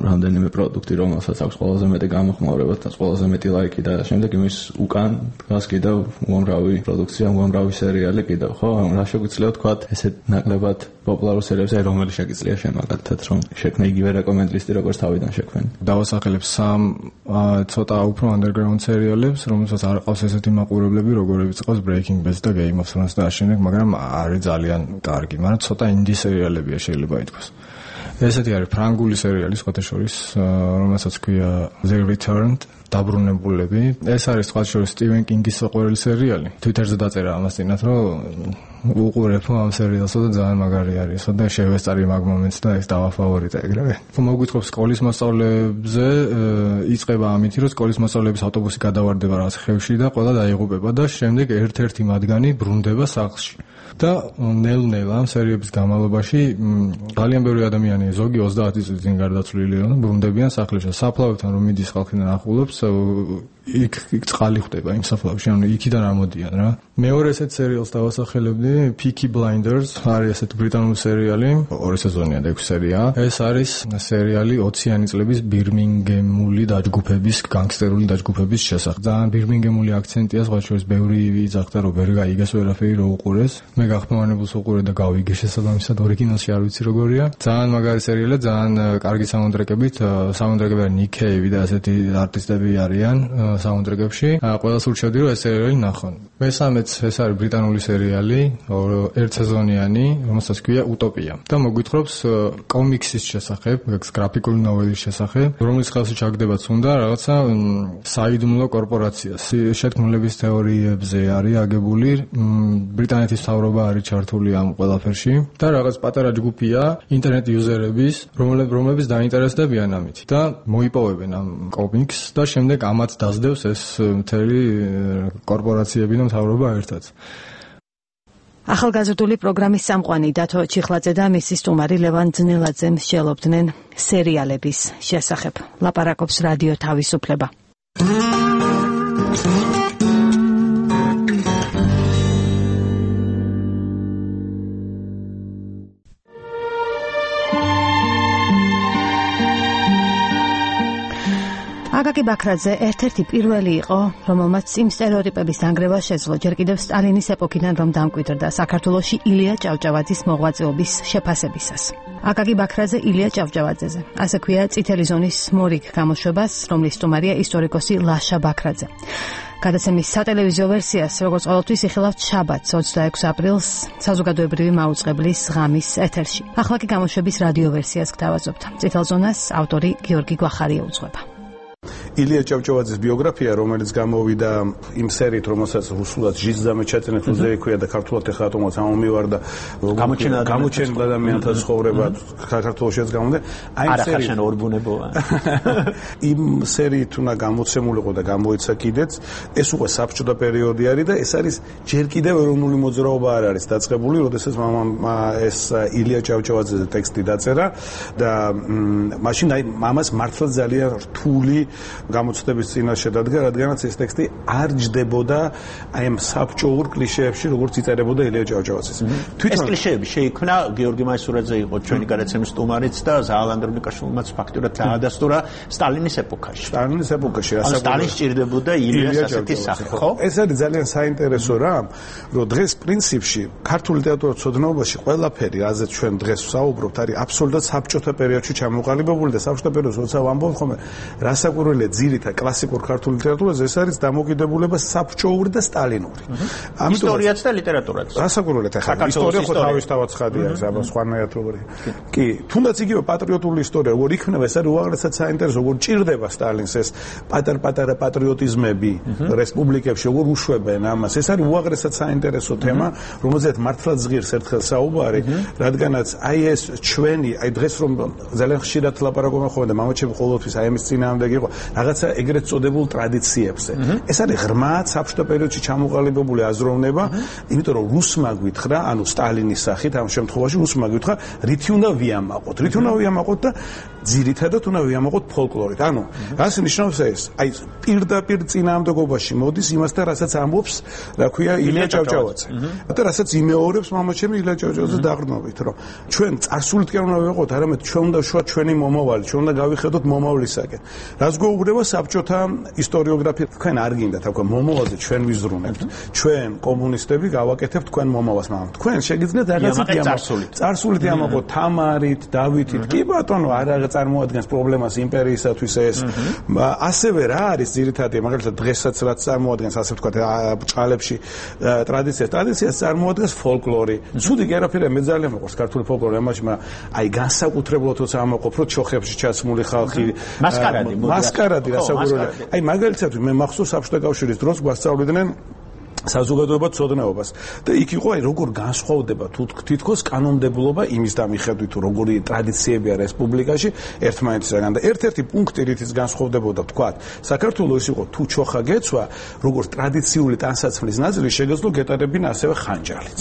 [SPEAKER 6] რამდენიმე პროდუქტი, რომელსაც აქვს ყველაზე მეტი გამოხმაურება და ყველაზე მეტი ლაიკი და შემდეგ იმის უკან დგას კიდევ უამრავი პროდუქცია, უამრავი სერიალი კიდევ, ხო? რა შეგვიძლია ვთქვათ, ესეთ ნაკლებად პოპულარულ სერიალებს, რომელი შეგიძლია შენ მაგალითად რომ შექმნე იგივე რეკომენდ ლისტი როგორც თავიდან შექმნი.
[SPEAKER 7] დავასახელებ სამ ცოტა უფრო underground სერიალებს, რომელსაც არ ყავს ესეთი მაყურებლები, როგორებიც ყავს Breaking Bad და Game of Thrones და ამავდროულად, მაგრამ არის ძალიან კარგი, მაგრამ ცოტა indie სერიალებია შეიძლება ითქვას. ესეთი არის ფრანგული სერიალი სხვათა შორის, რომელსაც ქვია The Returned, დაბრუნებულები. ეს არის სხვათა შორის Stephen King-ის საყვარელი სერიალი. Twitter-ზე დაწერა ამას წინათ, რომ უყურებ ამ სერიალსა და ძალიან მაგარი არის. და შევესწარი მაგ მომენტს და ეს დავაფავორიტე ეგრევე. მოგვითხრობ სკოლის მასწავლებლებზე, იწყება ამით, რომ სკოლის მასწავლებლების ავტობუსი გადავარდება რაღაც ხევში და ყველა დაიღუპება და შემდეგ ერთ-ერთი მათგანი ბრუნდება სახლში. და ნელ-ნელა ამ სერიების განმავლობაში ძალიან ბევრი ადამიანი, ზოგი ოცდაათი წლის წინ გარდაცვლილი, ბრუნდებიან სახლში. საფლავებთან რომ მიდის ხალხი და ნახულობს, იქ იქ წყალი ხდება იმ საფლავში, ანუ იქიდან ამოდიან რა. მეორე ესეთ სერიალს დავასახელებდი, Peaky Blinders, არის ესეთ ბრიტანული სერიალი, ორი სეზონია და ექვსი სერია. ეს არის სერიალი ოციანი წლების ბირმინგემული დაჯგუფების, განგსტერული დაჯგუფების შესახებ. ძალიან ბირმინგემული აქცენტია, სხვა შორის ბევრი იძახდა, რომ ვერ გაიგეს ვერაფერი რო უყურეს. მე გახმოვანებულს უყურე და გავიგე შესაბამისად ორიგინალში არ ვიცი როგორია. ძალიან მაგარი სერიალია, ძალიან კარგი საუნდტრეკებით, საუნდტრეკები არის Nick Cave და ასეთი არტისტები არიან საუნდტრეკებში. ყველას ურჩევდი რომ ეს სერიალი ნახონ. მესამეც ეს არის ბრიტანული სერიალი, ერთ სეზონიანი, რომელსაც ქვია Utopia. და მოგვითხრობს კომიქსის შესახებ, გრაფიკული ნოველის შესახებ, რომლის ხელში ჩაგდებაც უნდა რაღაცა საიდუმლო კორპორაცია. შეთქმულების თეორიებზე არის აგებული, ბრიტანეთის მთავრობა არის ჩართული ამ ყველაფერში და რაღაც პატარა ჯგუფია ინტერნეტ იუზერების, რომლებიც დაინტერესდებიან ამით და მოიპოვებენ ამ კომიქსს და შემდეგ ამათ დასდევს ეს მთელი კორპორაციები და მთავრობა ერთად.
[SPEAKER 2] ახალგაზრდული პროგრამის სამყვანი დათო ჩიხლაძე და მისი სტუმარი ლევან ძნელაძე მსჯელობდნენ სერიალების შესახებ. ლაპარაკობს რადიო თავისუფლება. აკაკი ბაქრაძე ერთ-ერთი პირველი იყო, რომელმაც იმ სტერეოტიპების დანგრევა შეძლო, ჯერ კიდევ სტალინის ეპოქიდან რომ დამკვიდრდა საქართველოში ილია ჭავჭავაძის მოღვაწეობის შეფასებისას. აკაკი ბაქრაძე ილია ჭავჭავაძეზე. ასე ქვია წითელი ზონის მორიგ გამოშვებას, რომლის სტუმარია ისტორიკოსი ლაშა ბაქრაძე. გადაცემის სატელევიზიო ვერსიას, როგორც ყოველთვის, იხილავთ შაბათს, ოცდაექვსი აპრილს, საზოგადოებრივი მაუწყებლის ღამის ეთერში. ახლა კი გამოშვების რადიო ვერსიას გთავაზობთ. წითელ ზონას ავტორი გიორგი გვახარია უძღვება.
[SPEAKER 8] ილია ჭავჭავაძის ბიოგრაფია, რომელიც გამოვიდა იმ სერიით, რომელსაც რუსულად ჟიზზამე ჩაწერეთ, უზე ექვია და ქართულად ეხლა ატომაც ამომივარდა გამოჩენილ ადამიანთა ცხოვრება საქართველოშიც გამოვიდა. აი
[SPEAKER 9] ეს სერი არახაშენ ორბუნებოა.
[SPEAKER 8] იმ სერიით უნდა გამოცემულიყო და გამოიცა კიდეც. ეს უკვე საბჭოთა პერიოდი არის და ეს არის ჯერ კიდევ ეროვნული მოძრაობა არ არის დაწყებული, როდესაც მამამ ეს ილია ჭავჭავაძეზე ტექსტი დაწერა და მაშინ აი მამას მართლა ძალიან რთული გამოცდების წინაშე დადგა, რადგანაც ეს ტექსტი არ ჯდებოდა აი ამ საბჭოურ კლიშეებში, როგორც იწერებოდა ილია ჭავჭავაძეს.
[SPEAKER 9] ეს კლიშეები შეიქმნა გიორგი მაისურაძე იყო ჩვენი გადაცემის სტუმარიც და ზაალანდ რუნიკაშვილმაც ფაქტურად დაადასტურა სტალინის ეპოქაში.
[SPEAKER 8] სტალინის ეპოქაში
[SPEAKER 9] რასაკვირველია. სტალინს სჭირდებოდა ილიას ასეთი სახე, ხო?
[SPEAKER 8] ეს არის ძალიან საინტერესო რამ, რომ დღეს პრინციპში ქართულ ლიტერატურაცოდნობაში ყველაფერი, რაზეც ჩვენ დღეს ვსაუბრობთ, არის აბსოლუტურად საბჭოთა პერიოდში ჩამოყალიბებული და საბჭოთა პერიოდს როცა ვამბობ ხოლმე, რასაკვირველია ძირითად კლასიკურ ქართულ ლიტერატურაზე ეს არის დამოკიდებულება საბჭოური და სტალინური.
[SPEAKER 9] ისტორიაც და ლიტერატურაც.
[SPEAKER 8] რასაკვირველია ახლა ისტორია ხო თავისთავად ცხადია, ეს აბა სხვანაირად როგორია. კი, თუნდაც იგივე პატრიოტული ისტორია, როგორ იქნება, ეს არის უაღრესად საინტერესო, როგორ ჭირდება სტალინს ეს პატარ-პატარა პატრიოტიზმები რესპუბლიკებში, როგორ უშვებენ ამას. ეს არის უაღრესად საინტერესო თემა, რომელზეც მართლაც ღირს ერთხელ საუბარი, რადგანაც აი ეს ჩვენი, აი დღეს რომ ძალიან ხშირად ლაპარაკობენ ხოლმე და მამაჩემი ყოველთვის აი ამის წინააღმდეგ იყო რაღაცა ეგრეთ წოდებულ ტრადიციებზე. ეს არის ღრმად საბჭოთა პერიოდში ჩამოყალიბებული აზროვნება, იმიტომ რომ რუსმა გვითხრა, ანუ სტალინის სახით ამ შემთხვევაში რუსმა გვითხრა, რითი უნდა ვიამაყოთ. რითი უნდა ვიამაყოთ და ძირითადად უნდა ვიამაყოთ ფოლკლორით. ანუ რას ნიშნავს ეს? აი პირდაპირ წინააღმდეგობაში მოდის იმასთან, რასაც ამბობს, რა ქვია, ილია ჭავჭავაძე. და რასაც იმეორებს მამაჩემი ილია ჭავჭავაძე დაყრდნობით, რომ ჩვენ წარსულითკენ უნდა ვიყოთ, არამედ ჩვენ უნდა ვშვა ჩვენი მომავალი, ჩვენ უნდა გავიხედოთ მომავლისაკენ. რას გვეუბნება საბჭოთა ისტორიოგრაფია? თქვენ არ გინდათ აქვე მომავალზე ჩვენ ვიზრუნებთ. ჩვენ კომუნისტები გავაკეთებთ თქვენ მომავალს, მაგრამ თქვენ შეგიძლიათ რაღაცით
[SPEAKER 9] წარსულით.
[SPEAKER 8] წარსულით ამაყოთ თამარით, დავითით. კი ბატონო, არ წარმოადგენს პრობლემას იმპერიისათვის ეს. ასევე რა არის ძირითადი, მაგალითად დღესაც რაც წარმოადგენს, ასე ვთქვათ, ბჭყალებში ტრადიციას, ტრადიციას წარმოადგენს ფოლკლორი. ცუდი კი არაფერია, მე ძალიან მეყვარს ქართული ფოლკლორი, ამაში, მაგრამ აი განსაკუთრებულად თორსა ამაყობ, რომ ჩოხებში ჩაცმული ხალხი
[SPEAKER 9] მასკარადი
[SPEAKER 8] მასკარადი რასაკვირველია. აი მაგალითად მე მახსოვს საბჭოთა კავშირის დროს გვასწავლიდნენ საზოგადოება ცოდნეობას და იქ იყო აი როგორ განსხვავდება თითქოს კანონმდებლობა იმის დამიხედვით თუ როგორი ტრადიციებია რესპუბლიკაში ერთმანეთისგან და ერთ-ერთი პუნქტი რითიც განსხვავდებოდა თქვა საქართველოს იყო თუ ჩოხა გეცვა როგორც ტრადიციული ტანსაცმლის ნაწილი შეგეძლო გეტარებინა ასევე ხანჯალიც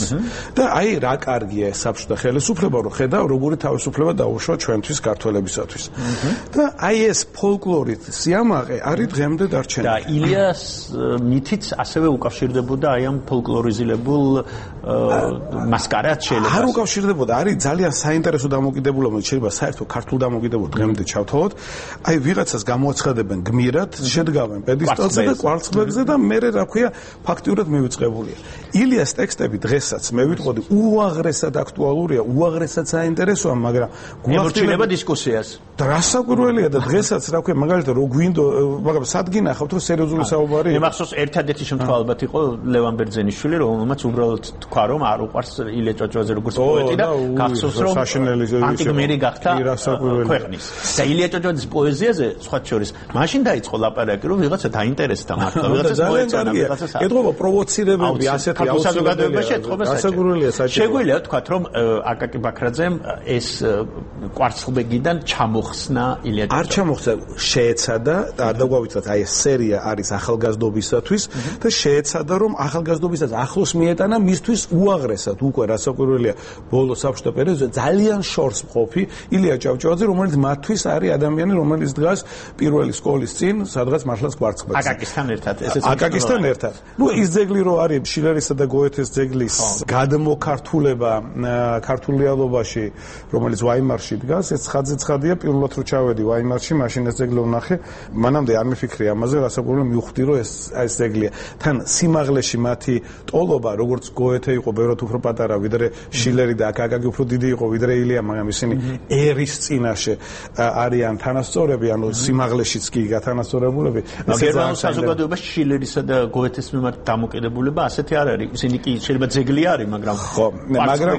[SPEAKER 8] და აი რა კარგია საბჭოთა ხელისუფლება რომ ხედავ როგორი თავისუფლება დაუშვა ჩვენთვის ქართველებისათვის და აი ეს ფოლკლორით სიამაყე არის დღემდე დარჩენილი
[SPEAKER 9] და ილიას მითიც ასევე უკავშირდება და აი ამ ფოლკლორიზილებულ მასკარადს შეიძლება
[SPEAKER 8] არ უკავშირდებოდა არის ძალიან საინტერესო დამოკიდებულება შეიძლება საერთო ქართულ დამოკიდებულებას დღემდე ჩავთვალოთ აი ვიღაცას გამოაცხადებენ გმირად შედგავენ პედესტალზე და კვარცხლბეკზე და მე რა ქვია ფაქტიურად მივიწყებულია ილიას ტექსტები დღესაც მე ვიტყოდი უაღრესად აქტუალურია უაღრესად საინტერესოა მაგრამ
[SPEAKER 9] გულახდილება დისკუსიას
[SPEAKER 8] და რასაკვირველია და დღესაც რა ქვია მაგალითად რო გვინდო მაგრამ სად გინახავთ რომ სერიოზული საუბარი
[SPEAKER 9] მე მახსოვს ერთადერთი შემთხვევა ალბათ იყო ლევან ბერძენიშვილი რომელმაც უბრალოდ თქვა რომ არ უყვარს ილია ჭავჭავაძე როგორც პოეტი და გახსოვს რომ ანტიგმირი გახდა ქვეყნის და ილია ჭავჭავაძის პოეზიაზე სხვა შორის მაშინ დაიწყო ლაპარაკი რომ ვიღაცა დაინტერესდა მართლა ვიღაცას მოეწონა ვიღაცას
[SPEAKER 8] ეთყობა პროვოცირებები ასეთი
[SPEAKER 9] საზოგადოებაში ეთყობა შეგვიძლია თქვა რომ აკაკი ბაქრაძემ ეს კვარცხლბეკიდან ჩამოხსნა ილია ჭავჭავაძე
[SPEAKER 8] არ ჩამოხსნა შეეცადა და არ დაგვავიცათ აი ეს სერია არის ახალგაზრდობისათვის და შეეცადა რომ რომ ახალგაზრდობისაც ახლოს მიეტანა მისთვის უაღრესად უკვე რასაკვირველია ბოლო საბჭოთა პერიოდზე ძალიან შორს მყოფი ილია ჭავჭავაძე, რომელიც მათთვის არის ადამიანი, რომელიც დგას პირველი სკოლის წინ, სადღაც მართლაც კვარცხლბეკზე.
[SPEAKER 9] აკაკისთან ერთად, ესეც
[SPEAKER 8] აკაკისთან ერთად. ნუ ის ძეგლი რო არის შილერისა და გოეთეს ძეგლის გადმოქართულება ქართულ რეალობაში, რომელიც ვაიმარში დგას, ეს ცხადზე ცხადია, პირველად რო ჩავედი ვაიმარში, მაშინ ეს ძეგლი ვნახე, მანამდე არ მიფიქრი ამაზე, რასაკვირველია მივხვდი, რომ ეს ეს ძეგლია. თან სიმაღლეში მათი ტოლობა, როგორც გოეთე იყო ბევრად უფრო პატარა, ვიდრე შილერი და აკაკი უფრო დიდი იყო, ვიდრე ილია, მაგრამ ისინი ერის წინაშე არიან თანასწორები, ანუ სიმაღლეშიც კი გათანასწორებულები.
[SPEAKER 9] გერმანულ საზოგადოებაში შილერისა და გოეთეს მიმართ დამოკიდებულება ასეთი არ არის. ისინი კი შეიძლება ძეგლი არის, მაგრამ
[SPEAKER 8] ხო, მაგრამ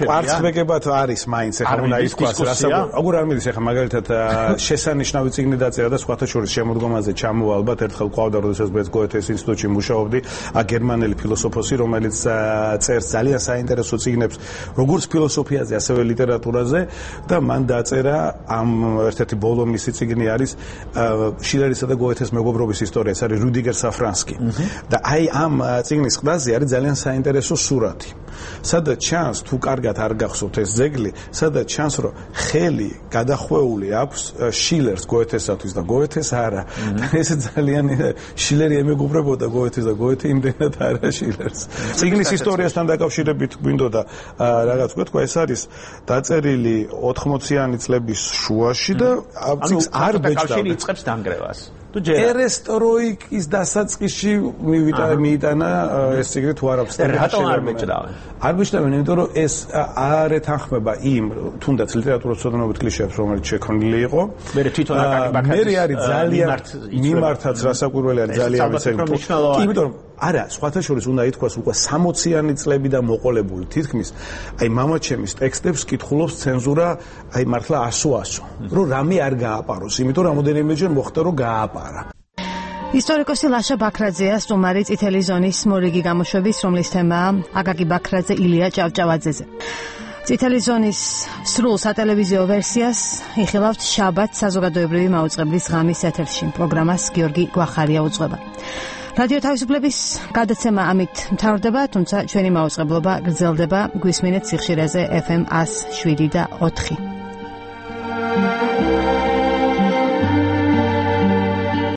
[SPEAKER 8] კვარცხლბეკებად არის მაინც ახლა უნდა ითქვას, რასაკვირველია. აგურ არ მიდის ახლა მაგალითად შესანიშნავი წიგნი დაწერა და სხვათა შორის შემოდგომაზე ჩამოვა ალბათ ერთხელ ყავდა, როდესაც მეც გოეთეს ინსტიტუტში მუშაობდი, გერმანელი ფილოსოფოსი, რომელიც წერს ძალიან საინტერესო წიგნებს, როგორც ფილოსოფიაზე, ასევე ლიტერატურაზე და მან დაწერა ამ ერთ-ერთი ბოლო მისი წიგნი არის შილერისა და გოეთეს მეგობრობის ისტორია, ეს არის რუდიგერ საფრანსკი. და აი ამ წიგნის ყდაზე არის ძალიან საინტერესო სურათი. სადაც ჩანს, თუ კარგად არ გახსოვთ ეს ძეგლი, სადაც ჩანს, რომ ხელი გადახვეული აქვს შილერს გოეთესათვის და გოეთეს არა. და ეს ძალიან შილერი ემეგობრებოდა გოეთეს და გოეთე იმდენად არა შილერს. წიგნის ისტორიასთან დაკავშირებით გვინდოდა რაღაც ვთქვა, ეს არის დაწერილი ოთხმოციანი წლების შუაში და წიგნს არ ბეჭდავდა.
[SPEAKER 9] იწყებს დანგრევას.
[SPEAKER 8] ერესტროიკის დასაწყისში მიიტანა ეს ციგნი თუ არ აქვს.
[SPEAKER 9] რატომ არ ბეჭდავენ?
[SPEAKER 8] არ ბეჭდავენ, იმიტომ რომ ეს არ ეთანხმება იმ თუნდაც ლიტერატურის ცოდნობით კლიშეებს, რომელიც შექმნილი იყო.
[SPEAKER 9] მე თვითონ აკაკი ბაქრაძის
[SPEAKER 8] მე არის ძალიან მიმართაც რასაკვირველი არის ძალიან ვიცი. კი, იმიტომ რომ არა, სხვათა შორის უნდა ითქვას უკვე სამოციანი წლები და მოყოლებული თითქმის აი მამაჩემის ტექსტებს კითხულობს ცენზურა აი მართლა ასო-ასო, რომ რამე არ გააპაროს, იმიტომ რომ რამოდენიმეჯერ მოხდა რომ გააპარა.
[SPEAKER 2] ისტორიკოსი ლაშა ბაქრაძეა სტუმარი წითელი ზონის მორიგი გამოშვების, რომლის თემაა აკაკი ბაქრაძე ილია ჭავჭავაძეზე. წითელი ზონის სრულ სატელევიზიო ვერსიას იხილავთ შაბათს საზოგადოებრივი მაუწყებლის ღამის ეთერში. პროგრამას გიორგი გვახარია უძღვება. რადიო თავისუფლების გადაცემა ამით მთავრდება, თუმცა ჩვენი მაუწყებლობა გრძელდება. გვისმინეთ სიხშირეზე ეფ ემ ათს შვიდი და ოთხი.